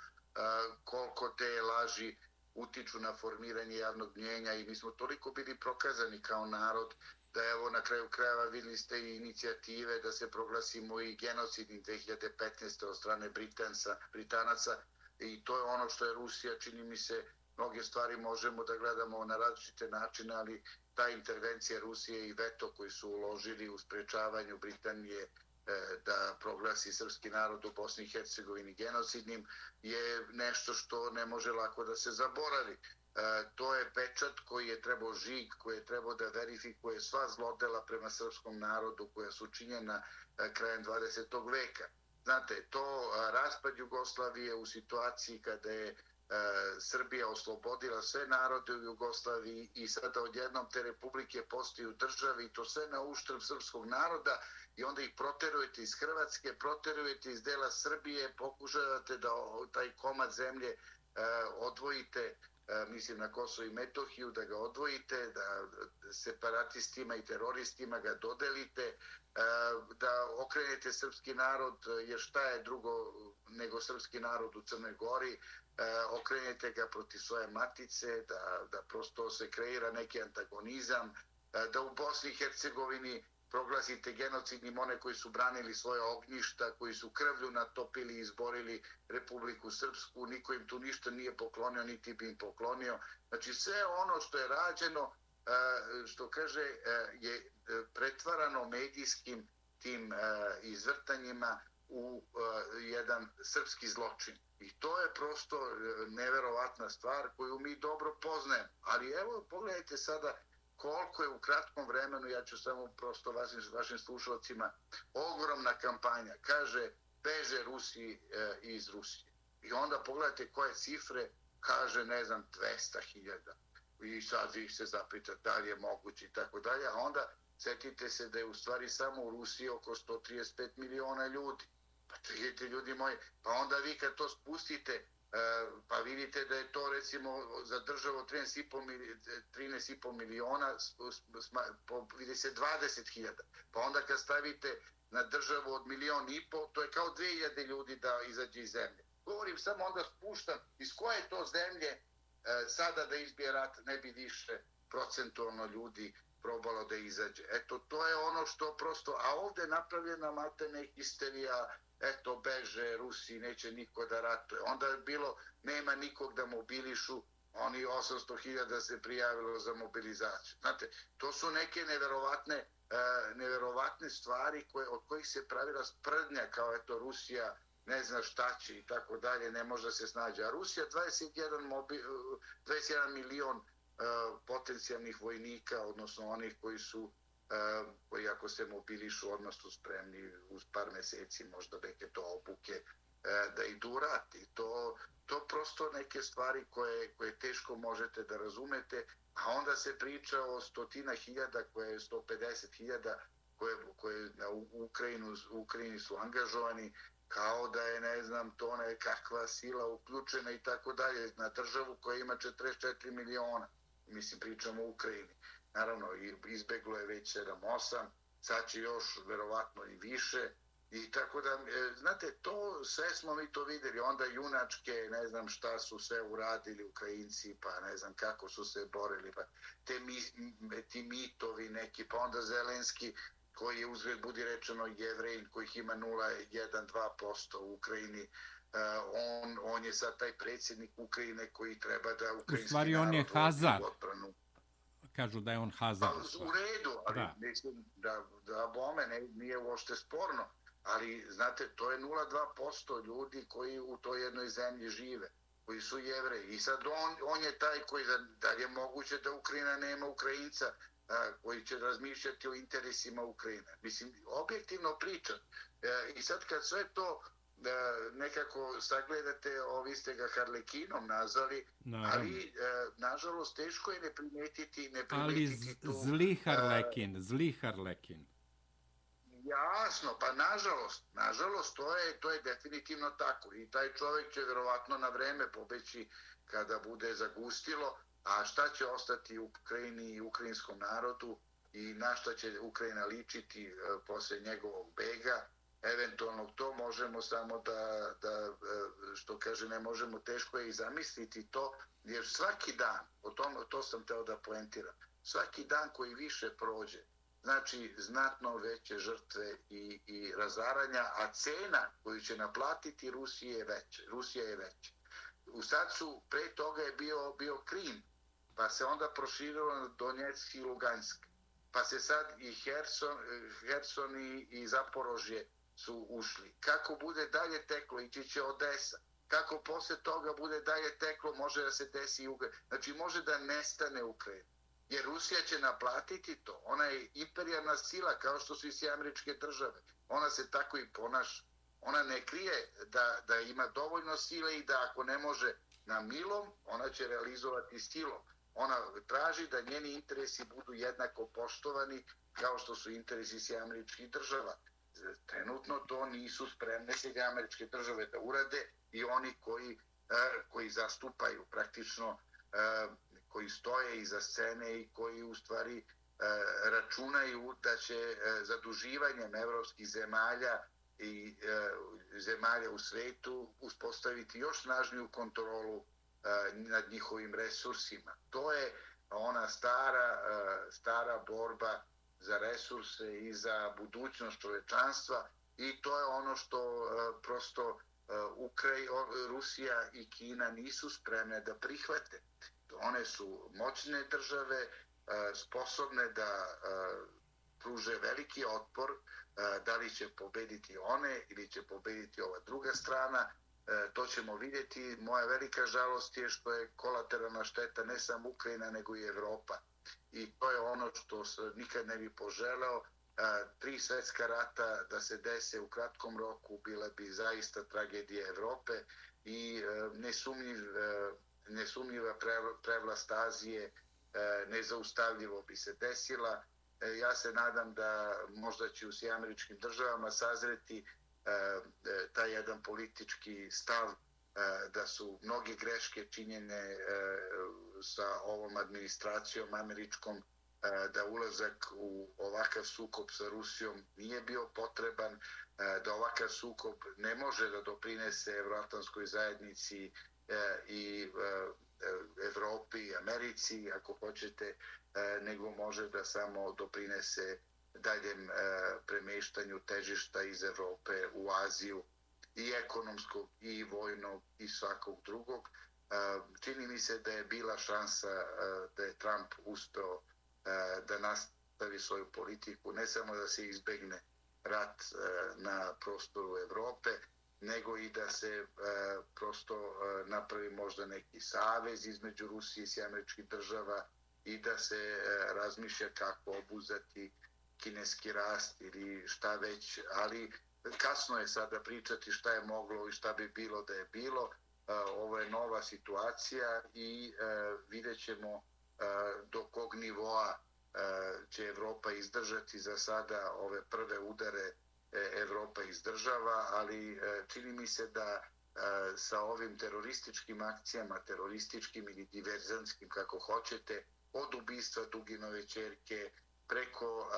koliko te laži utiču na formiranje javnog mnjenja i mi smo toliko bili prokazani kao narod da evo na kraju krajeva vidjeli ste i inicijative da se proglasimo i genocidnim dve hiljade petnaeste. od strane Britanca, Britanaca i to je ono što je Rusija, čini mi se, mnoge stvari možemo da gledamo na različite načine, ali ta intervencija Rusije i veto koji su uložili u sprečavanju Britanije da proglasi srpski narod u Bosni i Hercegovini genocidnim je nešto što ne može lako da se zaboravi. To je pečat koji je trebao, žig koji je trebao da verifikuje sva zlodela prema srpskom narodu koja su činjena krajem dvadesetog veka. Znate, to raspad Jugoslavije u situaciji kada je Srbija oslobodila sve narode u Jugoslaviji i sada odjednom te republike postaju države i to sve na uštrb srpskog naroda i onda ih proterujete iz Hrvatske, proterujete iz dela Srbije, pokušavate da taj komad zemlje odvojite, mislim na Kosovo i Metohiju, da ga odvojite, da separatistima i teroristima ga dodelite, da okrenete srpski narod, jer šta je drugo nego srpski narod u Crnoj Gori, okrenete ga protiv svoje matice, da, da prosto se kreira neki antagonizam, da u Bosni i Hercegovini proglasite genocidnim one koji su branili svoje ognjišta, koji su krvlju natopili i izborili Republiku Srpsku, niko im tu ništa nije poklonio, niti bi im poklonio. Znači sve ono što je rađeno, što kaže, je pretvarano medijskim tim izvrtanjima u jedan srpski zločin. I to je prosto neverovatna stvar koju mi dobro poznajemo. Ali evo, pogledajte sada koliko je u kratkom vremenu, ja ću samo prosto vašim, vašim slušalcima, ogromna kampanja. Kaže, beže Rusi e, iz Rusije. I onda pogledajte koje cifre, kaže, ne znam, dvesta hiljada. I sad ih se zapita da li je moguće i tako dalje. A onda setite se da je u stvari samo u Rusiji oko sto trideset pet miliona ljudi. Pa vidite, ljudi moji, pa onda vi kad to spustite pa vidite da je to recimo za državu trinaest i po miliona, vidi se dvadeset hiljada. Pa onda kad stavite na državu od milion i po, to je kao dve hiljade ljudi da izađe iz zemlje. Govorim samo onda spuštam iz koje to zemlje sada da izbije rat ne bi više procentualno ljudi probalo da izađe. Eto, to je ono što prosto, a ovde je napravljena maltene histerija, eto, beže, Rusi, neće niko da ratuje. Onda je bilo, nema nikog da mobilišu, oni osamsto hiljada se prijavilo za mobilizaciju. Znate, to su neke neverovatne, uh, neverovatne stvari koje, od kojih se pravila sprdnja, kao eto, Rusija ne zna šta će i tako dalje, ne može da se snađe. A Rusija dvadeset jedan, mobi, dvadeset jedan milion uh, potencijalnih vojnika, odnosno onih koji su Uh, koji ako se mobilišu odmah su spremni uz par meseci možda neke to obuke uh, da idu u rat. I to, to prosto neke stvari koje, koje teško možete da razumete, a onda se priča o stotina hiljada, koje je sto pedeset hiljada koje, koje na Ukrajinu, u Ukrajini su angažovani, kao da je, ne znam, to nekakva sila uključena i tako dalje, na državu koja ima četrdeset četiri miliona. Mislim, pričamo o Ukrajini. Naravno, izbeglo je već sedam osam, sad će još verovatno i više. I tako da, znate, to sve smo mi to videli, onda junačke, ne znam šta su sve uradili Ukrajinci, pa ne znam kako su se borili, pa te mi, ti mitovi neki, pa onda Zelenski, koji je uzgled budi rečeno Jevrejin, kojih ima nula zarez jedan do dva posto u Ukrajini, on, on je sad taj predsjednik Ukrajine koji treba da ukrajinski narod... U stvari on je Hazar. Kažu da je on Hazar. Pa, u redu, ali da. Mislim da, da bome ne, nije uopšte sporno, ali znate, to je nula zarez dva posto ljudi koji u toj jednoj zemlji žive, koji su Jevreji. I sad on, on je taj koji, da, da je moguće da Ukrajina nema Ukrajinca a, koji će razmišljati o interesima Ukrajine. Mislim, objektivno pričam. E, I sad kad sve to da nekako sagledate, ovi ste ga Harlekinom nazvali, naravno. Ali e, nažalost teško je ne primetiti, ne primetiti ali tu... Ali zli Harlekin, e, zli Harlekin. Jasno, pa nažalost, nažalost to je, to je definitivno tako i taj čovjek će vjerovatno na vreme pobeći kada bude zagustilo, a šta će ostati u Ukrajini i ukrajinskom narodu i na šta će Ukrajina ličiti e, posle njegovog bega. Eventualno to možemo samo da, da, što kaže, ne možemo, teško je i zamisliti to, jer svaki dan, o tom, to sam teo da poentiram, svaki dan koji više prođe, znači znatno veće žrtve i, i razaranja, a cena koju će naplatiti Rusija je veća. Rusija je veća. U sad su, pre toga je bio, bio Krim, pa se onda proširilo na Donjeck i Lugansk, pa se sad i Herson, Herson i, i Zaporožje su ušli. Kako bude dalje teklo, ići će Odesa. Kako posle toga bude dalje teklo, može da se desi i Ukrajina. Znači, može da nestane Ukrajina. Jer Rusija će naplatiti to. Ona je imperijalna sila, kao što su i sve američke države. Ona se tako i ponaša. Ona ne krije da, da ima dovoljno sile i da ako ne može na milom, ona će realizovati silom. Ona traži da njeni interesi budu jednako poštovani kao što su interesi sve američkih država. Trenutno to nisu spremne sve američke države da urade i oni koji, koji zastupaju praktično, koji stoje iza scene i koji u stvari računaju da će zaduživanjem evropskih zemalja i zemalja u svetu uspostaviti još snažniju kontrolu nad njihovim resursima. To je ona stara, stara borba za resurse i za budućnost čovečanstva i to je ono što uh, prosto uh, Ukraj, Rusija i Kina nisu spremne da prihvate. One su moćne države, uh, sposobne da uh, pruže veliki otpor, uh, da li će pobediti one ili će pobediti ova druga strana, uh, to ćemo vidjeti. Moja velika žalost je što je kolateralna šteta ne samo Ukrajina nego i Evropa. I to je ono što se nikad ne bi poželeo. Tri svjetska rata da se dese u kratkom roku bila bi zaista tragedija Evrope i nesumnjiv, nesumnjiva prevlast Azije nezaustavljivo bi se desila. Ja se nadam da možda će u svim američkim državama sazreti taj jedan politički stav da su mnogi greške činjene sa ovom administracijom američkom, da ulazak u ovakav sukob sa Rusijom nije bio potreban, da ovakav sukob ne može da doprinese evroatlantskoj zajednici i Evropi i Americi, ako hoćete, nego može da samo doprinese daljem premeštanju težišta iz Evrope u Aziju, i ekonomskog, i vojnog, i svakog drugog. Čini mi se da je bila šansa da je Trump uspeo da nastavi svoju politiku, ne samo da se izbegne rat na prostoru Evrope, nego i da se prosto napravi možda neki savez između Rusije i američkih država i da se razmišlja kako obuzeti kineski rast ili šta već, ali kasno je sada pričati šta je moglo i šta bi bilo da je bilo. Ovo je nova situacija i vidjet ćemo do kog nivoa će Evropa izdržati. Za sada ove prve udare Evropa izdržava, ali čini mi se da sa ovim terorističkim akcijama, terorističkim ili diverzantskim, kako hoćete, od ubistva Duginove ćerke preko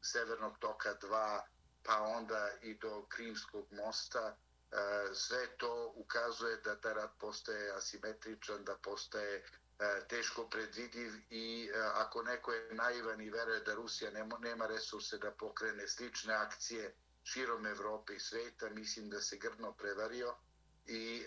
Severnog toka dva, pa onda i do Krimskog mosta, sve to ukazuje da ta rat postaje asimetričan, da postaje teško predvidiv i ako neko je naivan i veruje da Rusija nema resurse da pokrene slične akcije širom Evrope i sveta, mislim da se grdno prevario i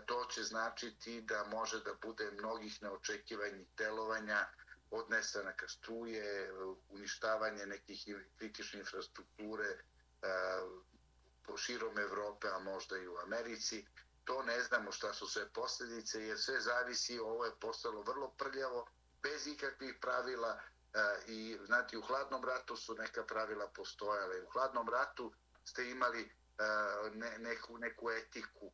to će značiti da može da bude mnogih neočekivanih delovanja, od nestanaka struje, uništavanje nekih kritične infrastrukture po širom Evrope, a možda i u Americi. To ne znamo šta su sve posljedice, jer sve zavisi, ovo je postalo vrlo prljavo, bez ikakvih pravila i, znate, u hladnom ratu su neka pravila postojale. U hladnom ratu ste imali ne, neku, neku etiku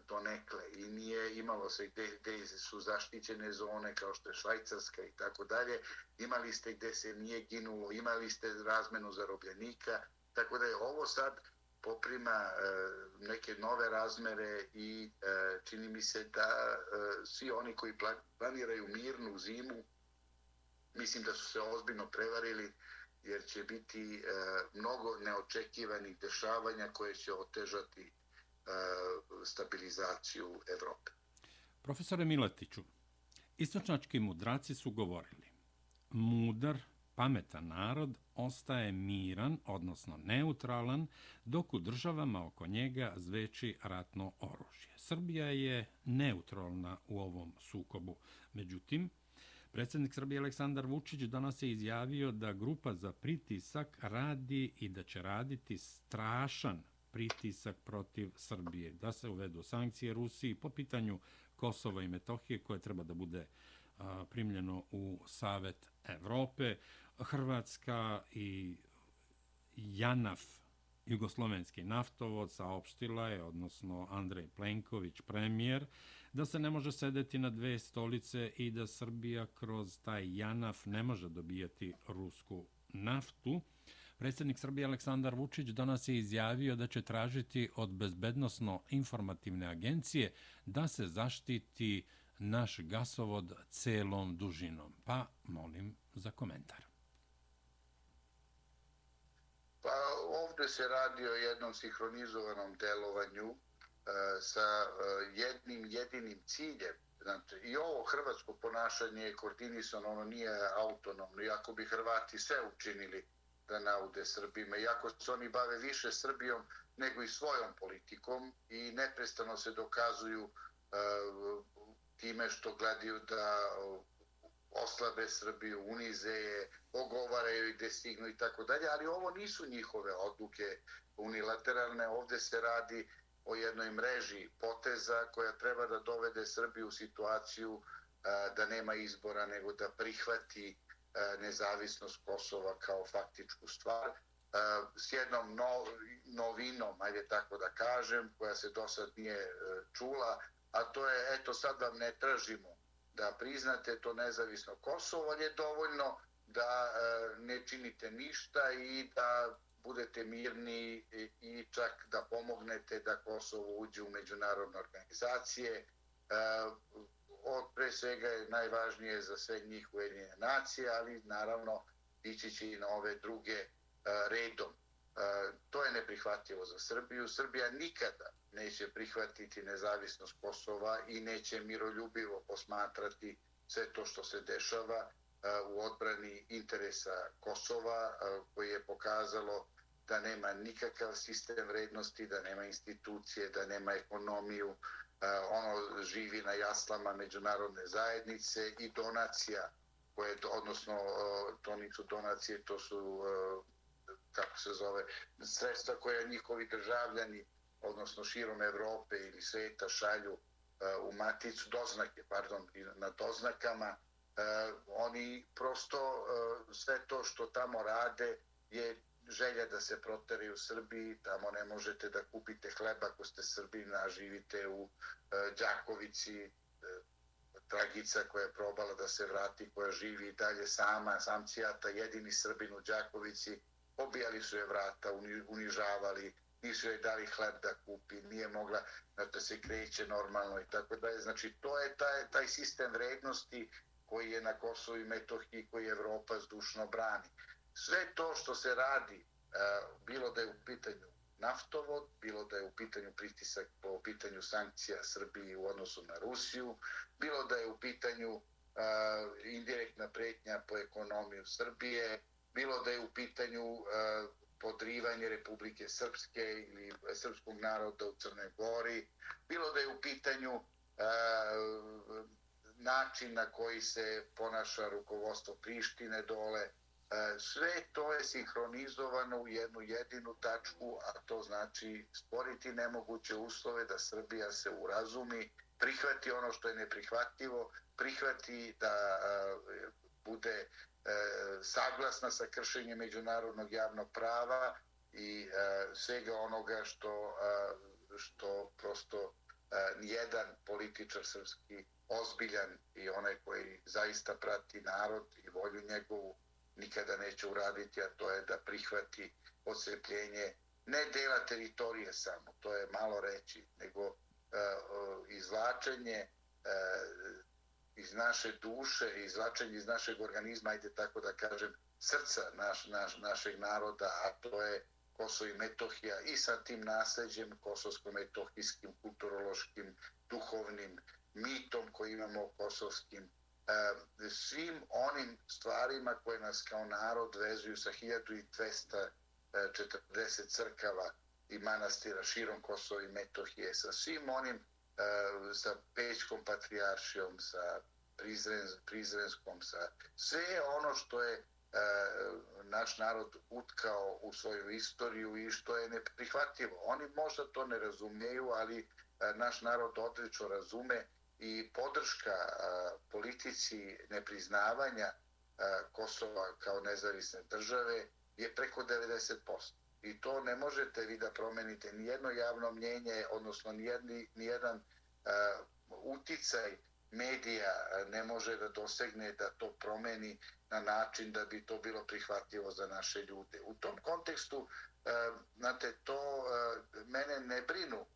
donekle i nije imalo se gde, gde su zaštićene zone kao što je Švajcarska i tako dalje, imali ste gde se nije ginulo, imali ste razmenu zarobljenika, tako da je ovo sad poprima neke nove razmere i čini mi se da svi oni koji planiraju mirnu zimu, mislim da su se ozbiljno prevarili, jer će biti mnogo neočekivanih dešavanja koje će otežati stabilizaciju Evrope. Profesore Miletiću, istočnjački mudraci su govorili: mudar, pametan narod ostaje miran, odnosno neutralan, dok u državama oko njega zveči ratno oružje. Srbija je neutralna u ovom sukobu. Međutim, predsjednik Srbije Aleksandar Vučić danas je izjavio da grupa za pritisak radi i da će raditi strašan pritisak protiv Srbije, da se uvedu sankcije Rusiji po pitanju Kosova i Metohije, koje treba da bude a, primljeno u Savet Evrope. Hrvatska i JANAF, jugoslovenski naftovod, saopštila je, odnosno Andrej Plenković, premijer, da se ne može sedeti na dve stolice i da Srbija kroz taj JANAF ne može dobijati rusku naftu. Predsjednik Srbije Aleksandar Vučić danas je izjavio da će tražiti od bezbednosno-informativne agencije da se zaštiti naš gasovod celom dužinom. Pa molim za komentar. Pa ovdje se radi o jednom sinhronizovanom delovanju sa jednim jedinim ciljem. Znači, i ovo hrvatsko ponašanje je koordinisano, ono nije autonomno, iako bi Hrvati sve učinili da naude Srbima, iako se oni bave više Srbijom nego i svojom politikom i neprestano se dokazuju uh, time što gledaju da oslabe Srbiju, unize je, ogovaraju i gde stignu i tako dalje, ali ovo nisu njihove odluke unilateralne, ovdje se radi o jednoj mreži poteza koja treba da dovede Srbiju u situaciju uh, da nema izbora nego da prihvati nezavisnost Kosova kao faktičku stvar, s jednom no, novinom, ajde tako da kažem, koja se do sad nije čula, a to je, eto sad vam ne tražimo da priznate to nezavisno Kosovo, ali je dovoljno da ne činite ništa i da budete mirni i čak da pomognete da Kosovo uđe u međunarodne organizacije. Od pre svega je najvažnije za sve njih Ujedinjene nacije, ali naravno ići će i na ove druge redom. To je neprihvatljivo za Srbiju. Srbija nikada neće prihvatiti nezavisnost Kosova i neće miroljubivo posmatrati sve to što se dešava u odbrani interesa Kosova, koji je pokazalo da nema nikakav sistem vrednosti, da nema institucije, da nema ekonomiju. Ono živi na jaslama međunarodne zajednice i donacija, koje, odnosno to nisu donacije, to su, kako se zove, sredstva koje njihovi državljani, odnosno širom Evrope ili sveta šalju u maticu, doznake, pardon, na doznakama. Oni prosto sve to što tamo rade je želja da se proteraju u Srbiji. Tamo ne možete da kupite hleba ako ste Srbina, a živite u Đakovici. Dragica koja je probala da se vrati, koja živi i dalje sama, samcijata, jedini Srbin u Đakovici, pobijali su je vrata, unižavali, nisu joj dali hleb da kupi, nije mogla da se kreće normalno i tako dalje. Znači, to je taj, taj sistem vrednosti koji je na Kosovu i Metohiji, koji Evropa zdušno brani. Sve to što se radi, bilo da je u pitanju naftovod, bilo da je u pitanju pritisak po pitanju sankcija Srbiji u odnosu na Rusiju, bilo da je u pitanju indirektna pretnja po ekonomiju Srbije, bilo da je u pitanju podrivanje Republike Srpske ili srpskog naroda u Crnoj Gori, bilo da je u pitanju način na koji se ponaša rukovodstvo Prištine dole. Sve to je sinhronizovano u jednu jedinu tačku, a to znači stvoriti nemoguće uslove da Srbija se urazumi, prihvati ono što je neprihvatljivo, prihvati da bude saglasna sa kršenjem međunarodnog javnog prava i svega onoga što, što prosto nijedan političar srpski ozbiljan i onaj koji zaista prati narod i volju njegovu nikada neće uraditi, a to je da prihvati odcepljenje ne dela teritorije samo, to je malo reći, nego izvlačenje iz naše duše, izvlačenje iz našeg organizma, ajde tako da kažem, srca naš, naš, našeg naroda, a to je Kosovo i Metohija i sa tim nasleđem kosovsko-metohijskim, kulturološkim, duhovnim mitom koji imamo o kosovskim, svim onim stvarima koje nas kao narod vezuju sa hiljadu dvesta četrdeset crkava i manastira širom Kosova i Metohije, sa svim onim, sa Pećkom patrijaršijom, sa Prizrenskom, sa sve ono što je naš narod utkao u svoju istoriju i što je neprihvatljivo. Oni možda to ne razumiju, ali naš narod odlično razume i podrška politici nepriznavanja Kosova kao nezavisne države je preko devedeset posto. I to ne možete vi da promenite nijedno javno mnjenje, odnosno nijedni, nijedan uh, uticaj medija ne može da dosegne da to promeni na način da bi to bilo prihvatljivo za naše ljude. U tom kontekstu, uh, znate, to uh, mene ne brinu uh,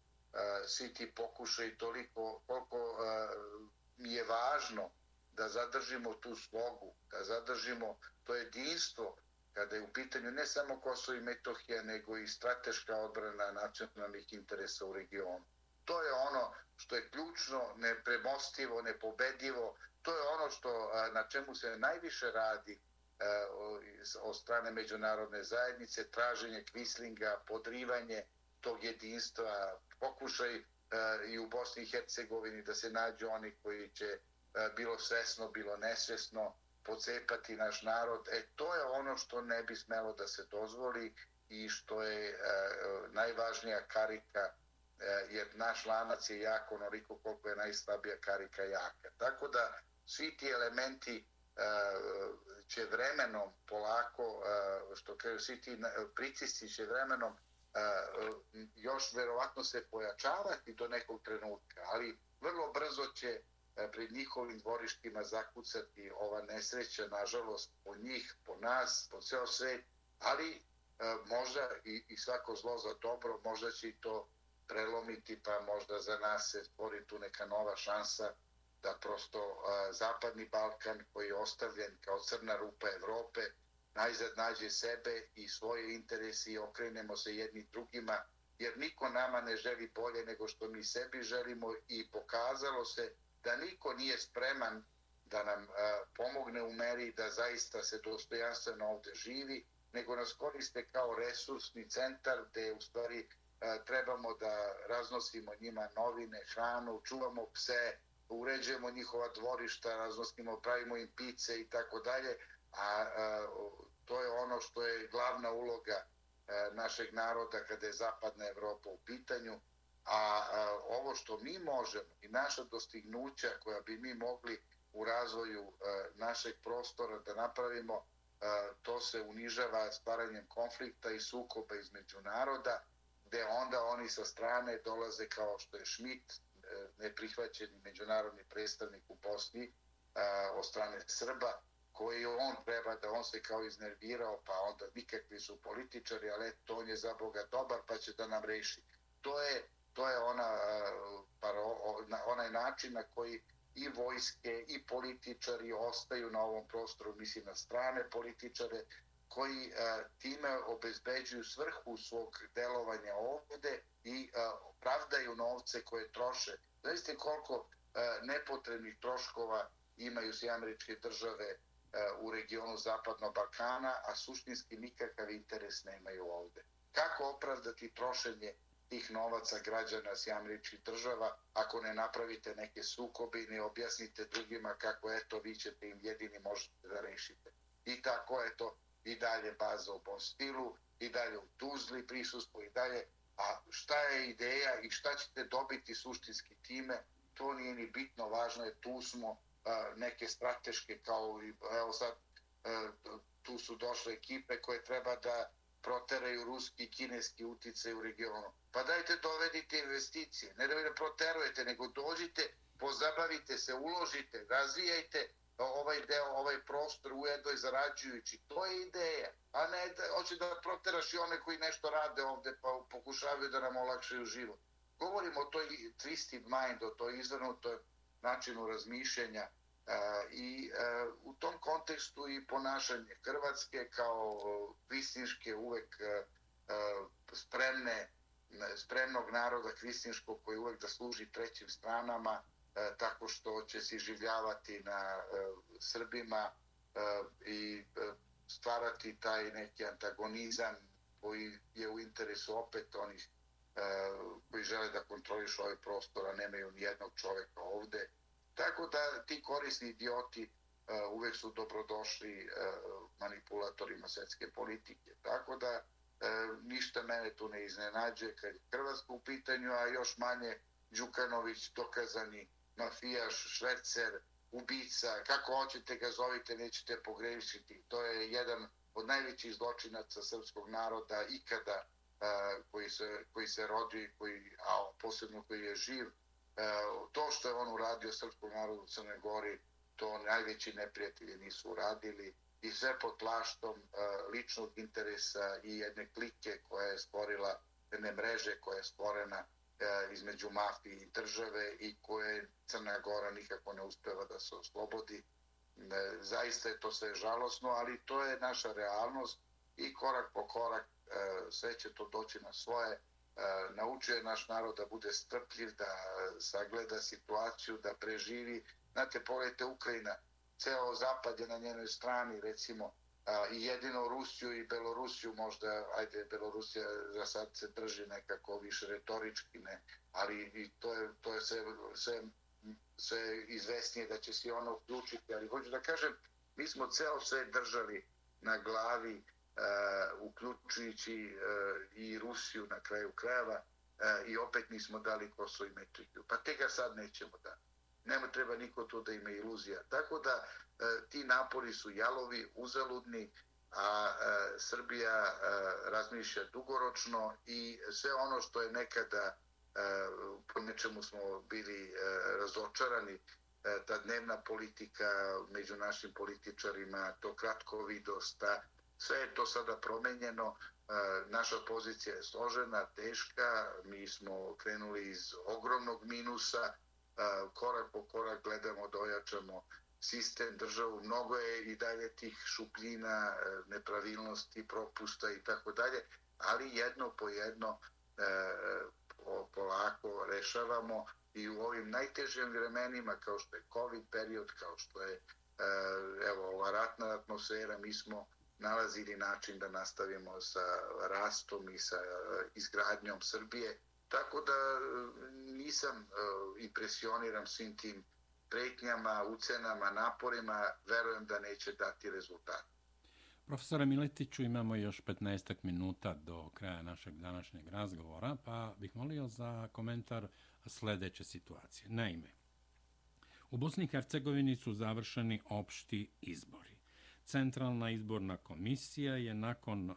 svi ti pokušaj toliko koliko uh, mi je važno da zadržimo tu slogu, da zadržimo to jedinstvo kada je u pitanju ne samo Kosovo i Metohija, nego i strateška odbrana nacionalnih interesa u regionu. To je ono što je ključno, nepremostivo, nepobedivo. To je ono što, na čemu se najviše radi od strane međunarodne zajednice, traženje kvislinga, podrivanje tog jedinstva, pokušaj i u Bosni i Hercegovini da se nađu oni koji će bilo svesno, bilo nesvesno pocepati naš narod. E, to je ono što ne bi smelo da se dozvoli i što je e, najvažnija karika, e, jer naš lanac je jak onoliko koliko je najslabija karika jaka. Tako da svi ti elementi e, će vremenom polako, e, što kažu, svi ti pritisci će vremenom e, još verovatno se pojačavati do nekog trenutka, ali vrlo brzo će pred njihovim dvorištima zakucati ova nesreća, nažalost, po njih, po nas, po ceo svet, ali možda i, i svako zlo za dobro, možda će i to prelomiti, pa možda za nas se stvori tu neka nova šansa da prosto a, Zapadni Balkan, koji je ostavljen kao crna rupa Evrope, najzad nađe sebe i svoje interese i okrenemo se jedni drugima, jer niko nama ne želi bolje nego što mi sebi želimo i pokazalo se da niko nije spreman da nam a, pomogne u meri da zaista se dostojanstveno ovde živi, nego nas koriste kao resursni centar gde u stvari a, trebamo da raznosimo njima novine, hranu, čuvamo pse, uređujemo njihova dvorišta, raznosimo, pravimo im pice i tako dalje, a to je ono što je glavna uloga a, našeg naroda kada je Zapadna Evropa u pitanju, a, a ovo što mi možemo i naša dostignuća koja bi mi mogli u razvoju a, našeg prostora da napravimo, a, to se unižava stvaranjem konflikta i sukoba između naroda, gde onda oni sa strane dolaze kao što je Schmidt, neprihvaćeni međunarodni predstavnik u Bosni a, od strane Srba, koji on treba da on se kao iznervirao, pa onda nikakvi su političari, ali to on je za Boga dobar, pa će da nam reši. To je, to je ona, paro, onaj način na koji i vojske i političari ostaju na ovom prostoru, mislim na strane političare, koji a, time obezbeđuju svrhu svog delovanja ovde i a, opravdaju novce koje troše. Zavisite koliko a, nepotrebnih troškova imaju sve američke države a, u regionu Zapadnog Balkana, a suštinski nikakav interes nemaju ovde. Kako opravdati trošenje tih novaca građana sve američkih država ako ne napravite neke sukobe i ne objasnite drugima kako eto vi ćete im jedini možete da rešite. I tako eto i dalje baza u Bonstilu, i dalje u Tuzli prisustvo, i dalje. A šta je ideja i šta ćete dobiti suštinski time, to nije ni bitno, važno je, tu smo a, neke strateške, kao i, evo sad, a, tu su došle ekipe koje treba da proteraju ruski i kineski uticaj u regionu. Pa dajte dovedite investicije, ne da vi ne proterujete, nego dođite, pozabavite se, uložite, razvijajte ovaj deo, ovaj prostor ujedno i zarađujući. To je ideja, a ne da hoće da proteraš i one koji nešto rade ovde pa pokušavaju da nam olakšaju život. Govorimo o toj twisted mind, o toj izvrnutoj načinu razmišljanja a, i a, u tom kontekstu i ponašanje Hrvatske kao kvislinške uvek a, a, spremne, spremnog naroda kvislinškog koji uvek da služi trećim stranama, E, tako što će se iživljavati na e, Srbima e, i e, stvarati taj neki antagonizam koji je u interesu opet onih e, koji žele da kontrolišu ovaj prostor, a nemaju ni jednog čoveka ovde. Tako da ti korisni idioti e, uvek su dobrodošli e, manipulatorima svetske politike. Tako da e, ništa mene tu ne iznenađuje kad je Hrvatska u pitanju, a još manje Đukanović, dokazani mafijaš, švercer, ubica, kako hoćete ga zovite, nećete pogrešiti. To je jedan od najvećih zločinaca srpskog naroda ikada a, koji, se, koji se rodi, koji, a posebno koji je živ. A, to što je on uradio srpskom narodu u Crnoj Gori, to najveći neprijatelji nisu uradili i sve pod plaštom a, ličnog interesa i jedne klike koja je stvorila, jedne mreže koja je stvorena između mafije i države i koje Crna Gora nikako ne uspeva da se oslobodi. Zaista je to sve žalosno, ali to je naša realnost i korak po korak sve će to doći na svoje. Naučuje naš narod da bude strpljiv, da sagleda situaciju, da preživi. Znate, pogledajte Ukrajina, ceo zapad je na njenoj strani, recimo, A, i jedino Rusiju i Belorusiju možda, ajde, Belorusija za sad se drži nekako više retorički, ne, ali i to je, to je sve, sve, sve izvesnije da će se ono uključiti, ali hoću da kažem, mi smo ceo sve držali na glavi, uh, uključujući uh, i Rusiju na kraju krajeva uh, i opet nismo dali Kosovo i Metohiju, pa te ga sad nećemo da. Nema treba niko tu da ima iluzija. Tako da e, ti napori su jalovi, uzaludni, a e, Srbija e, razmišlja dugoročno i sve ono što je nekada e, po nečemu smo bili e, razočarani, e, ta dnevna politika među našim političarima, to kratkovidost, ta, sve je to sada promenjeno. Naša pozicija je složena, teška, mi smo krenuli iz ogromnog minusa, korak po korak gledamo da ojačamo sistem, državu, mnogo je i dalje tih šupljina, nepravilnosti, propusta i tako dalje, ali jedno po jedno polako rešavamo i u ovim najtežim vremenima kao što je COVID period, kao što je evo, ova ratna atmosfera, mi smo nalazili način da nastavimo sa rastom i sa izgradnjom Srbije. Tako da nisam impresioniran svim tim pretnjama, ucenama, naporima, verujem da neće dati rezultat. Profesore Miletiću, imamo još petnaestak minuta do kraja našeg današnjeg razgovora, pa bih molio za komentar sledeće situacije. Naime, u Bosni i Hercegovini su završeni opšti izbori. Centralna izborna komisija je nakon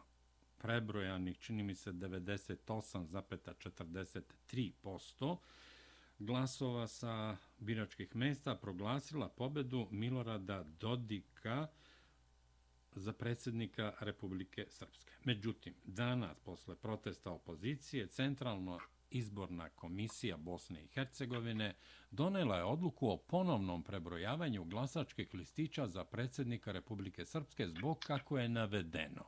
prebrojanih, čini mi se, devedeset osam zarez četrdeset tri posto glasova sa biračkih mesta proglasila pobedu Milorada Dodika za predsjednika Republike Srpske. Međutim, danas, posle protesta opozicije, Centralna izborna komisija Bosne i Hercegovine donela je odluku o ponovnom prebrojavanju glasačkih listića za predsjednika Republike Srpske zbog, kako je navedeno,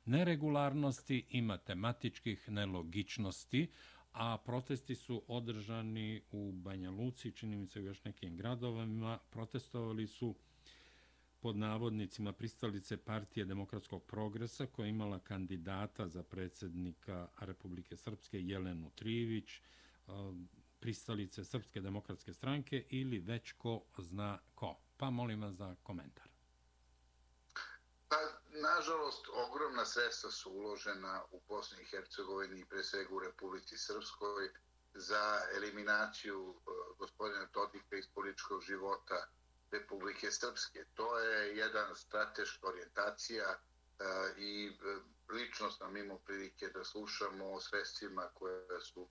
neregularnosti i matematičkih nelogičnosti, a protesti su održani u Banja Luci, čini mi se u još nekim gradovima. Protestovali su pod navodnicima pristalice Partije demokratskog progresa, koja je imala kandidata za predsjednika Republike Srpske Jelenu Trivić, pristalice Srpske demokratske stranke ili već ko zna ko. Pa molim vas za komentar. Pa, nažalost, ogromna sredstva su uložena u Bosni i Hercegovini i pre svega u Republici Srpskoj za eliminaciju gospodina Dodika iz političkog života Republike Srpske. To je jedan strateška orijentacija i lično sam imao prilike da slušamo o sredstvima koje su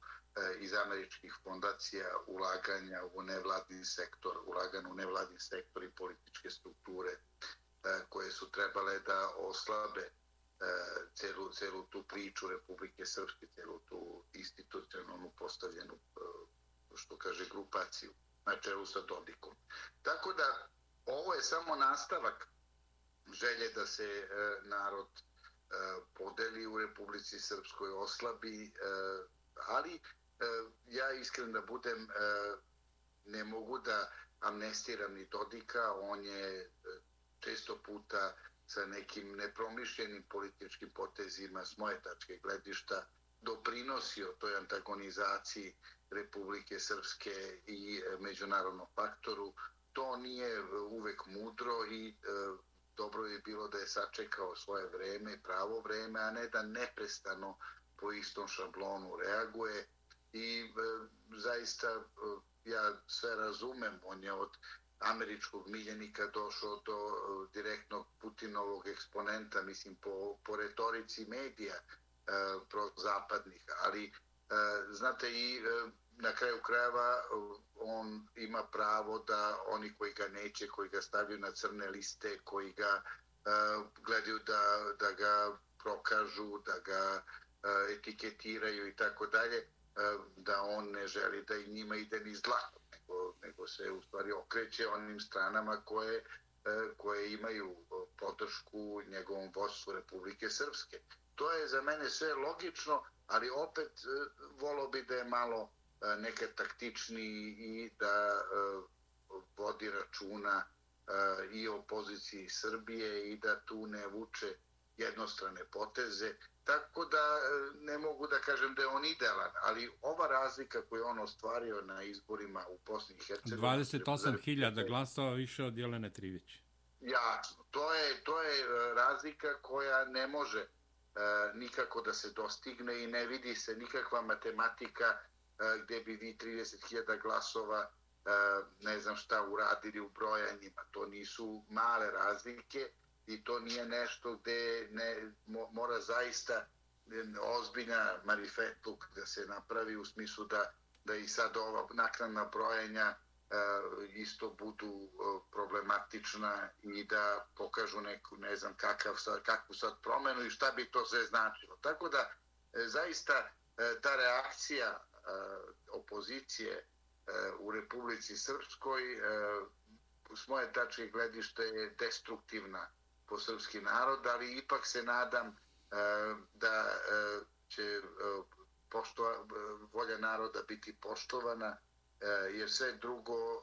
iz američkih fondacija ulaganja u nevladin sektor, ulaganja u nevladin sektor i političke strukture koje su trebale da oslabe celu, celu tu priču Republike Srpske, celu tu institucionalnu postavljenu, što kaže, grupaciju na čelu sa Dodikom. Tako da ovo je samo nastavak želje da se narod podeli u Republici Srpskoj, oslabi, ali ja iskren da budem, ne mogu da amnestiram ni Dodika, on je često puta sa nekim nepromišljenim političkim potezima s moje tačke gledišta doprinosio toj antagonizaciji Republike Srpske i međunarodnom faktoru. To nije uvek mudro i dobro je bilo da je sačekao svoje vreme, pravo vreme, a ne da neprestano po istom šablonu reaguje. I zaista ja sve razumem, on je od američkog miljenika došao do direktnog Putinovog eksponenta, mislim, po, po retorici medija prozapadnih, ali znate, i na kraju krajeva on ima pravo da oni koji ga neće, koji ga stavljaju na crne liste, koji ga gledaju da, da ga prokažu, da ga etiketiraju i tako dalje, da on ne želi da i njima ide ni zlato, nego, nego se u stvari okreće onim stranama koje, koje imaju podršku njegovom vodstvu Republike Srpske. To je za mene sve logično, ali opet volio bi da je malo nekad taktičniji i da vodi računa i o poziciji Srbije i da tu ne vuče jednostrane poteze. Tako da ne mogu da kažem da je on idealan, ali ova razlika koju je on ostvario na izborima u Bosni i Hercegovini... dvadeset osam hiljada glasova više od Jelene Trivić. Jasno, to je, to je razlika koja ne može nikako da se dostigne i ne vidi se nikakva matematika gdje bi vi trideset hiljada glasova ne znam šta uradili u brojanjima. To nisu male razlike i to nije nešto gdje ne, mora zaista ozbiljna marifetluk da se napravi u smislu da, da i sad ova naknadna brojanja isto budu problematična i da pokažu neku, ne znam, kakav sad, kakvu sad promenu i šta bi to sve značilo. Tako da, zaista, ta reakcija opozicije u Republici Srpskoj s moje tačke gledište je destruktivna po srpski narod, ali ipak se nadam da će poštova, volja naroda biti poštovana, jer sve drugo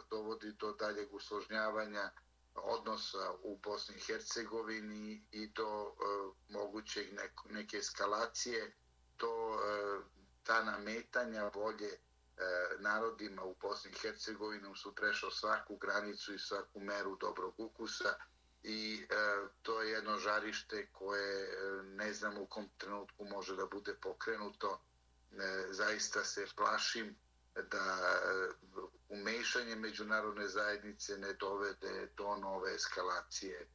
dovodi do daljeg usložnjavanja odnosa u Bosni i Hercegovini i do mogućeg neke eskalacije, to ta nametanja volje narodima u Bosni i Hercegovini su prešao svaku granicu i svaku meru dobrog ukusa i to je jedno žarište koje ne znam u kom trenutku može da bude pokrenuto. Zaista se plašim da umešanje međunarodne zajednice ne dovede do nove eskalacije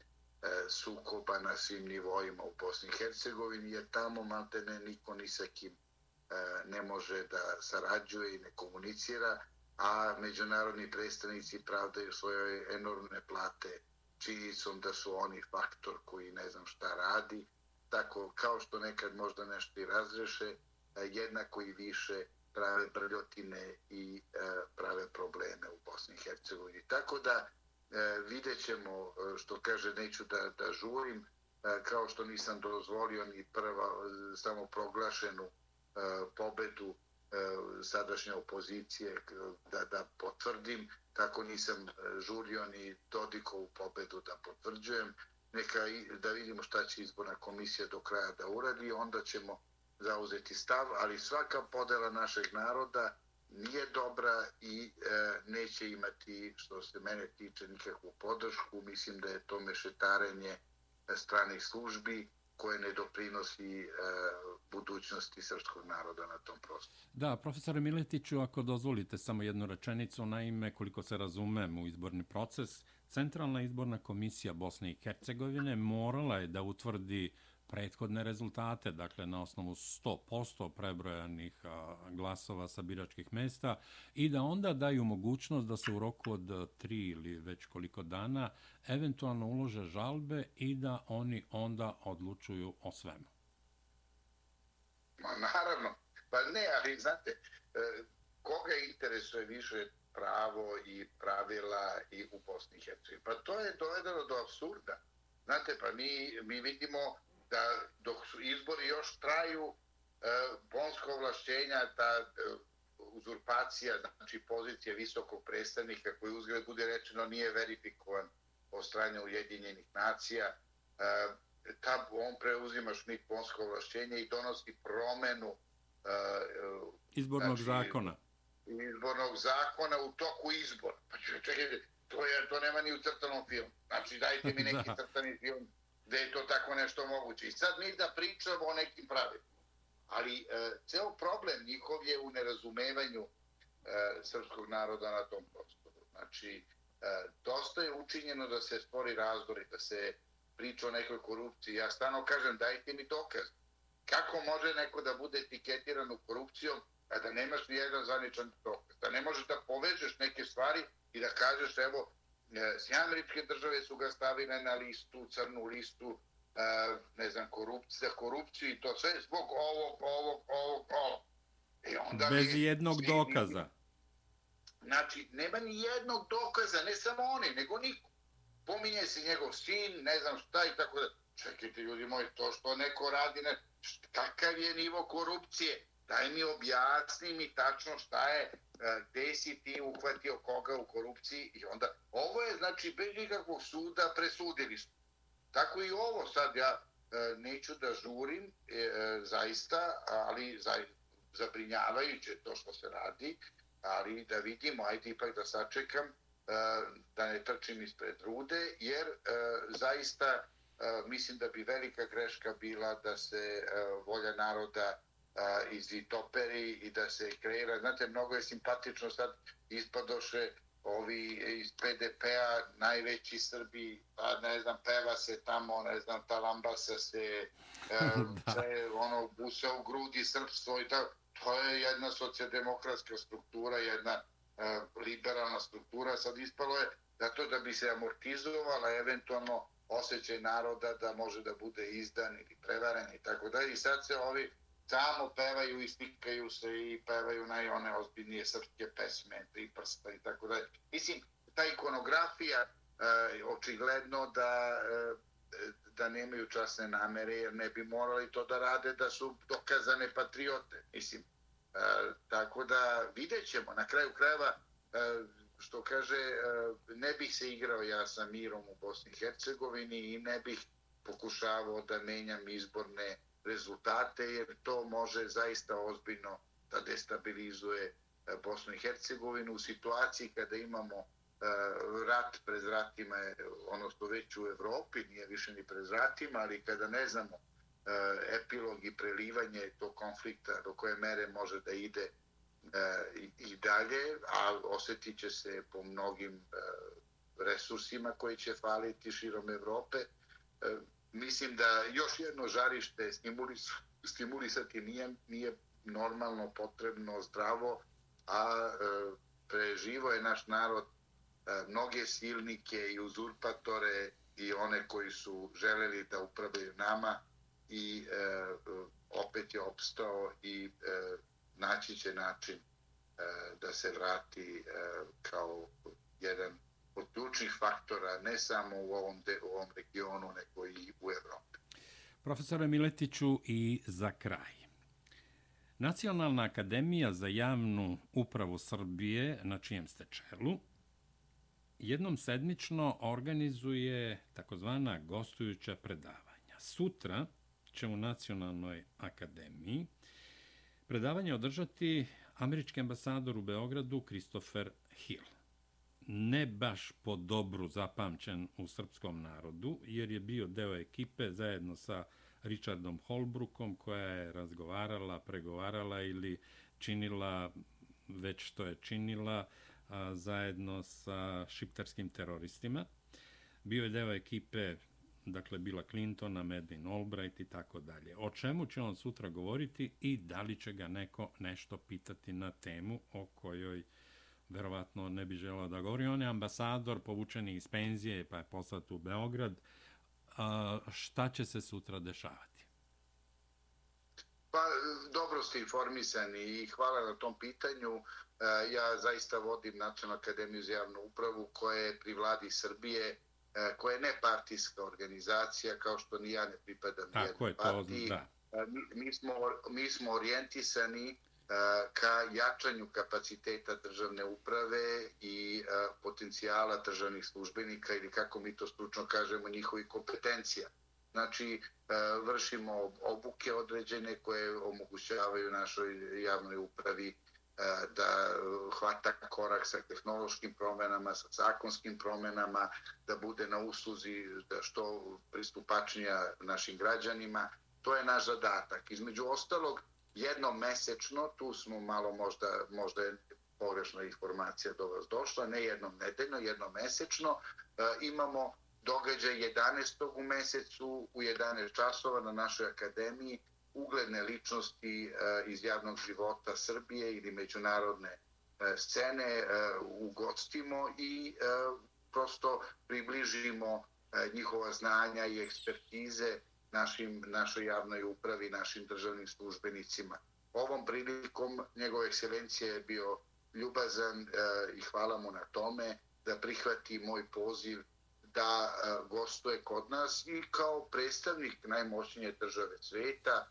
sukoba na svim nivoima u Bosni i Hercegovini, jer tamo maltene niko ni sa kim ne može da sarađuje i ne komunicira, a međunarodni predstavnici pravdaju svoje enormne plate činjenicom da su oni faktor koji ne znam šta radi. Tako, kao što nekad možda nešto i razreše, jednako i više prave brljotine i prave probleme u Bosni i Hercegovini. Tako da vidjet ćemo, što kaže, neću da, da žurim, kao što nisam dozvolio ni prva samoproglašenu pobedu sadašnje opozicije da, da potvrdim, tako nisam žurio ni Dodikovu pobedu da potvrđujem. Neka da vidimo šta će izborna komisija do kraja da uradi, onda ćemo zauzeti stav, ali svaka podela našeg naroda nije dobra i e, neće imati, što se mene tiče, nikakvu podršku. Mislim da je to mešetarenje stranih službi koje ne doprinosi e, budućnosti srpskog naroda na tom prostoru. Da, profesore Miletiću, ako dozvolite samo jednu rečenicu, naime, koliko se razumem u izborni proces, Centralna izborna komisija Bosne i Hercegovine morala je da utvrdi prethodne rezultate, dakle na osnovu sto posto prebrojanih a, glasova sa biračkih mesta i da onda daju mogućnost da se u roku od tri ili već koliko dana eventualno ulože žalbe i da oni onda odlučuju o svemu. Ma naravno, pa ne, ali znate, koga interesuje više pravo i pravila i u Bosni i Hercegovini? Pa to je dovedeno do apsurda. Znate, pa mi, mi vidimo da dok su izbori još traju, bonska ovlašćenja, ta uzurpacija, znači pozicija visokog predstavnika koji uzgled bude rečeno nije verifikovan od strane Ujedinjenih nacija, ta, on preuzima Šmit bonsko ovlašćenje i donosi promenu izbornog znači, zakona. izbornog zakona u toku izbora. Pa čekajte, to, je, to nema ni u crtanom filmu. Znači dajte mi neki crtani film da je to tako nešto moguće. I sad mi da pričamo o nekim pravilima. Ali e, ceo problem njihov je u nerazumevanju e, srpskog naroda na tom prostoru. Znači, e, dosta je učinjeno da se stvori razdor i da se priča o nekoj korupciji. Ja stvarno kažem, dajte mi dokaz. Kako može neko da bude etiketiran u korupcijom, a da nemaš ni jedan zvaničan dokaz? Da ne možeš da povežeš neke stvari i da kažeš, evo, Sjedinjene Američke Države su ga stavile na listu, crnu listu, ne znam, korupcija, korupciju i to sve zbog ovog, ovog, ovog, ovog. I onda bez mi, jednog svi, dokaza. Znači, nema ni jednog dokaza, ne samo oni, nego niko. Pominje se njegov sin, ne znam šta i tako da. Čekajte, ljudi moji, to što neko radi, ne, kakav je nivo korupcije? Daj mi objasni mi tačno šta je, gde si ti uhvatio koga u korupciji i onda, ovo je znači bez nikakvog suda presudili su. Tako i ovo sad ja neću da žurim zaista, ali zabrinjavajuće to što se radi, ali da vidimo, ajde ipak da sačekam, da ne trčim ispred rude, jer zaista mislim da bi velika greška bila da se volja naroda izvitoperi i da se kreira. Znate, mnogo je simpatično sad ispadoše ovi iz P D P-a, najveći Srbi, pa ne znam, peva se tamo, ne znam, talambasa se, sve, ono, busa u grudi, srpstvo i tako. To je jedna socijaldemokratska struktura, jedna liberalna struktura. Sad ispalo je zato da bi se amortizovala eventualno osjećaj naroda da može da bude izdan ili prevaren i tako dalje. I sad se ovi samo pevaju i slikaju se i pevaju na one ozbiljnije srpske pesme, Tri prsta i tako dalje. Mislim, ta ikonografija e, očigledno da, e, da nemaju časne namere, jer ne bi morali to da rade da su dokazane patriote. Mislim, e, tako da vidjet ćemo. Na kraju krajeva, e, što kaže, e, ne bih se igrao ja sa mirom u Bosni i Hercegovini i ne bih pokušavao da menjam izborne rezultate, jer to može zaista ozbiljno da destabilizuje Bosnu i Hercegovinu u situaciji kada imamo rat pred vratima, odnosno već u Evropi, nije više ni pred vratima, ali kada ne znamo epilog i prelivanje tog konflikta do koje mere može da ide i dalje, a osjetit će se po mnogim resursima koji će faliti širom Evrope. Mislim da još jedno žarište stimulis, stimulisati nije, nije normalno, potrebno, zdravo, a e, preživo je naš narod e, mnoge silnike i uzurpatore i one koji su želeli da upravljaju nama i e, opet je opstao i e, naći će način e, da se vrati e, kao jedan od ključnih faktora, ne samo u ovom, de, u ovom regionu, nego i u Evropi. Profesore Miletiću, i za kraj. Nacionalna akademija za javnu upravu Srbije, na čijem ste čelu, jednom sedmično organizuje takozvana gostujuća predavanja. Sutra će u Nacionalnoj akademiji predavanje održati američki ambasador u Beogradu Christopher Hill. Ne baš po dobru zapamćen u srpskom narodu, jer je bio deo ekipe zajedno sa Richardom Holbrookom, koja je razgovarala, pregovarala ili činila već što je činila a, zajedno sa šiptarskim teroristima. Bio je deo ekipe, dakle, Billa Clintona, Madeleine Albright i tako dalje. O čemu će on sutra govoriti i da li će ga neko nešto pitati na temu o kojoj verovatno ne bi želeo da govori. On je ambasador, povučeni iz penzije, pa je poslat u Beograd. A, šta će se sutra dešavati? Pa, dobro ste informisani i hvala na tom pitanju. Ja zaista vodim Nacionalnu akademiju za javnu upravu koja je pri vladi Srbije, koja je nepartijska organizacija, kao što ni ja ne pripadam jednoj partiji. Da. Mi, mi, smo, mi smo orijentisani ka jačanju kapaciteta državne uprave i potencijala državnih službenika ili, kako mi to stručno kažemo, njihovih kompetencija. Znači, vršimo obuke određene koje omogućavaju našoj javnoj upravi da hvata korak sa tehnološkim promenama, sa zakonskim promenama, da bude na usluzi da što pristupačnija našim građanima. To je naš zadatak. Između ostalog, jednom mesečno, tu smo malo možda, možda je pogrešna informacija do vas došla, ne jednom nedeljno, jednom mesečno, imamo događaj jedanaestog u mesecu u jedanaest časova na našoj akademiji, ugledne ličnosti iz javnog života Srbije ili međunarodne scene ugostimo i prosto približimo njihova znanja i ekspertize našim, našoj javnoj upravi, našim državnim službenicima. Ovom prilikom njegova ekscelencija je bio ljubazan i hvala mu na tome da prihvati moj poziv da gostuje kod nas i kao predstavnik najmoćnije države sveta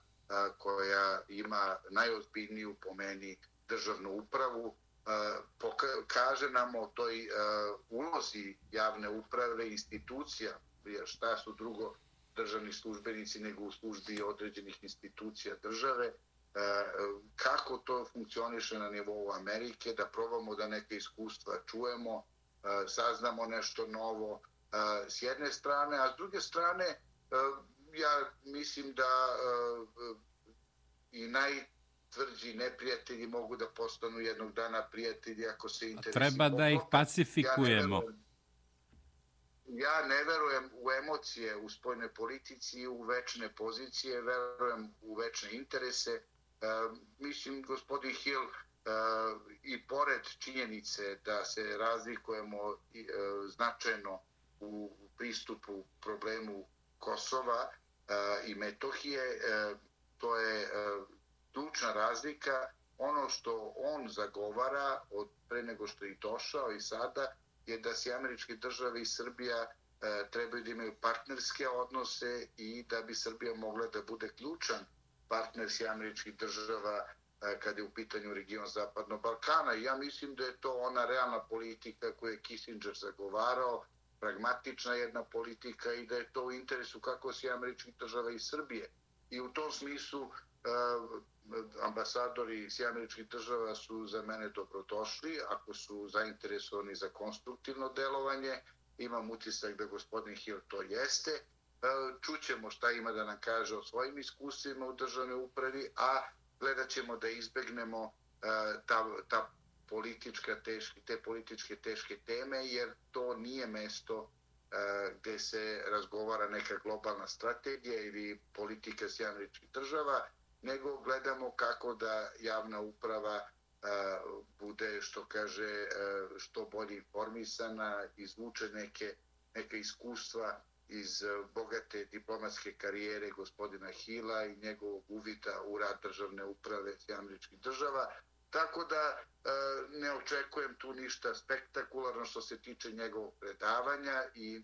koja ima najozbiljniju po meni državnu upravu, kaže nam o toj ulozi javne uprave, institucija, jer šta su drugo državni službenici nego u službi određenih institucija države, kako to funkcioniše na nivou Amerike, da probamo da neke iskustva čujemo, saznamo nešto novo s jedne strane, a s druge strane ja mislim da i najtvrđi neprijatelji mogu da postanu jednog dana prijatelji ako se interesi treba da ih pacifikujemo. Ja ne verujem u emocije u spoljnoj politici i u večne pozicije, verujem u večne interese. Uh, mislim, gospodin Hill i pored činjenice da se razlikujemo značajno u pristupu problemu Kosova i Metohije, to je ključna razlika. Ono što on zagovara od pre nego što je došao i sada je da se američke države i Srbija trebaju da imaju partnerske odnose i da bi Srbija mogla da bude ključan partner s američkih država kad je u pitanju region Zapadnog Balkana. I ja mislim da je to ona realna politika koju je Kissinger zagovarao, pragmatična jedna politika i da je to u interesu kako se američkih država i Srbije. I u tom smislu ambasadori s američkih država su za mene dobrodošli ako su zainteresovani za konstruktivno delovanje. Imam utisak da gospodin Hill to jeste. Čućemo šta ima da nam kaže o svojim iskustvima u državnoj upravi, a gledat ćemo da izbegnemo ta, ta politička teške, te političke teške teme, jer to nije mesto gde se razgovara neka globalna strategija ili politika s američkih država, nego gledamo kako da javna uprava bude, što kaže, što bolje informisana, izvuče neke, neke iskustva iz bogate diplomatske karijere gospodina Hilla i njegovog uvida u rad državne uprave s američkih država. Tako da ne očekujem tu ništa spektakularno što se tiče njegovog predavanja i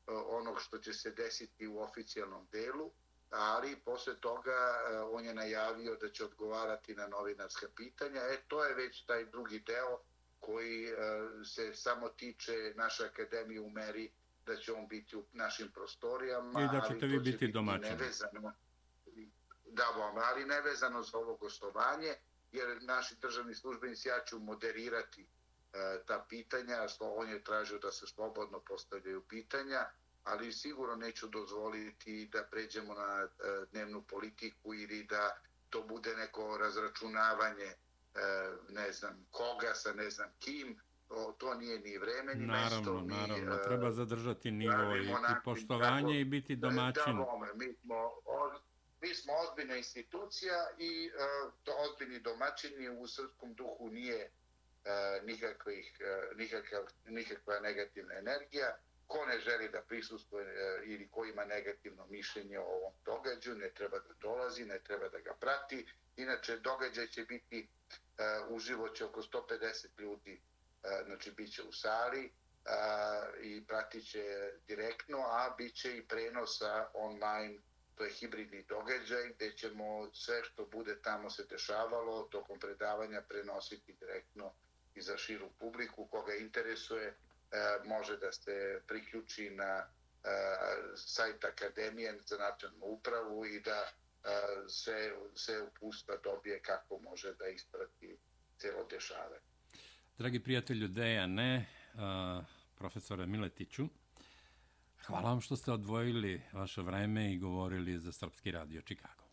onog što će se desiti u oficijalnom delu, ali posle toga on je najavio da će odgovarati na novinarska pitanja. E, to je već taj drugi deo koji se samo tiče naše akademije u meri da će on biti u našim prostorijama. I da ćete vi biti domaćini. Da, ali nevezano za ovo gostovanje, jer naši državni službenici, ja ću moderirati ta pitanja, on je tražio da se slobodno postavljaju pitanja, ali sigurno neću dozvoliti da pređemo na dnevnu politiku ili da to bude neko razračunavanje ne znam koga sa ne znam kim. To nije ni vreme, ni naravno, mesto. Naravno, naravno. Treba zadržati nivo i, i poštovanje tako, i biti domaćin. Da, da, mi smo, mi smo ozbiljna institucija i uh, to ozbiljni domaćini u srpskom duhu nije uh, nikakvih, uh, nikakav, nikakva negativna energija. Ko ne želi da prisustuje uh, ili ko ima negativno mišljenje o ovom događaju, ne treba da dolazi, ne treba da ga prati. Inače, događaj će biti, uh, uživo će oko sto pedeset ljudi, uh, znači bit će u sali uh, i pratit će direktno, a bit će i prenosa online. To je hibridni događaj gdje ćemo sve što bude tamo se dešavalo tokom predavanja prenositi direktno i za širu publiku. Koga interesuje može da se priključi na sajt Akademije za nacionalnu upravu i da se, se upustva dobije kako može da isprati celo dešavanje. Dragi prijatelju Dejane, profesore Miletiću, hvala vam što ste odvojili vaše vreme i govorili za Srpski radio Čikago.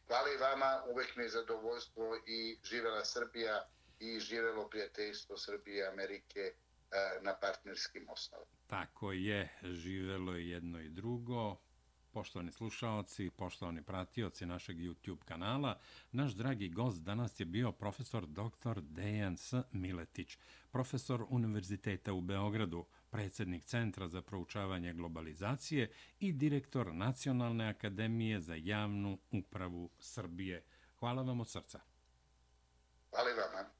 Hvala i vama, uvek mi je zadovoljstvo i živela Srbija i živelo prijateljstvo Srbije i Amerike na partnerskim osnovama. Tako je, živelo je jedno i drugo. Poštovani slušaoci, poštovani pratioci našeg YouTube kanala, naš dragi gost danas je bio profesor doktor Dejan S. Miletić, profesor Univerziteta u Beogradu, predsjednik Centra za proučavanje globalizacije i direktor Nacionalne akademije za javnu upravu Srbije. Hvala vam od srca. Hvala i vama.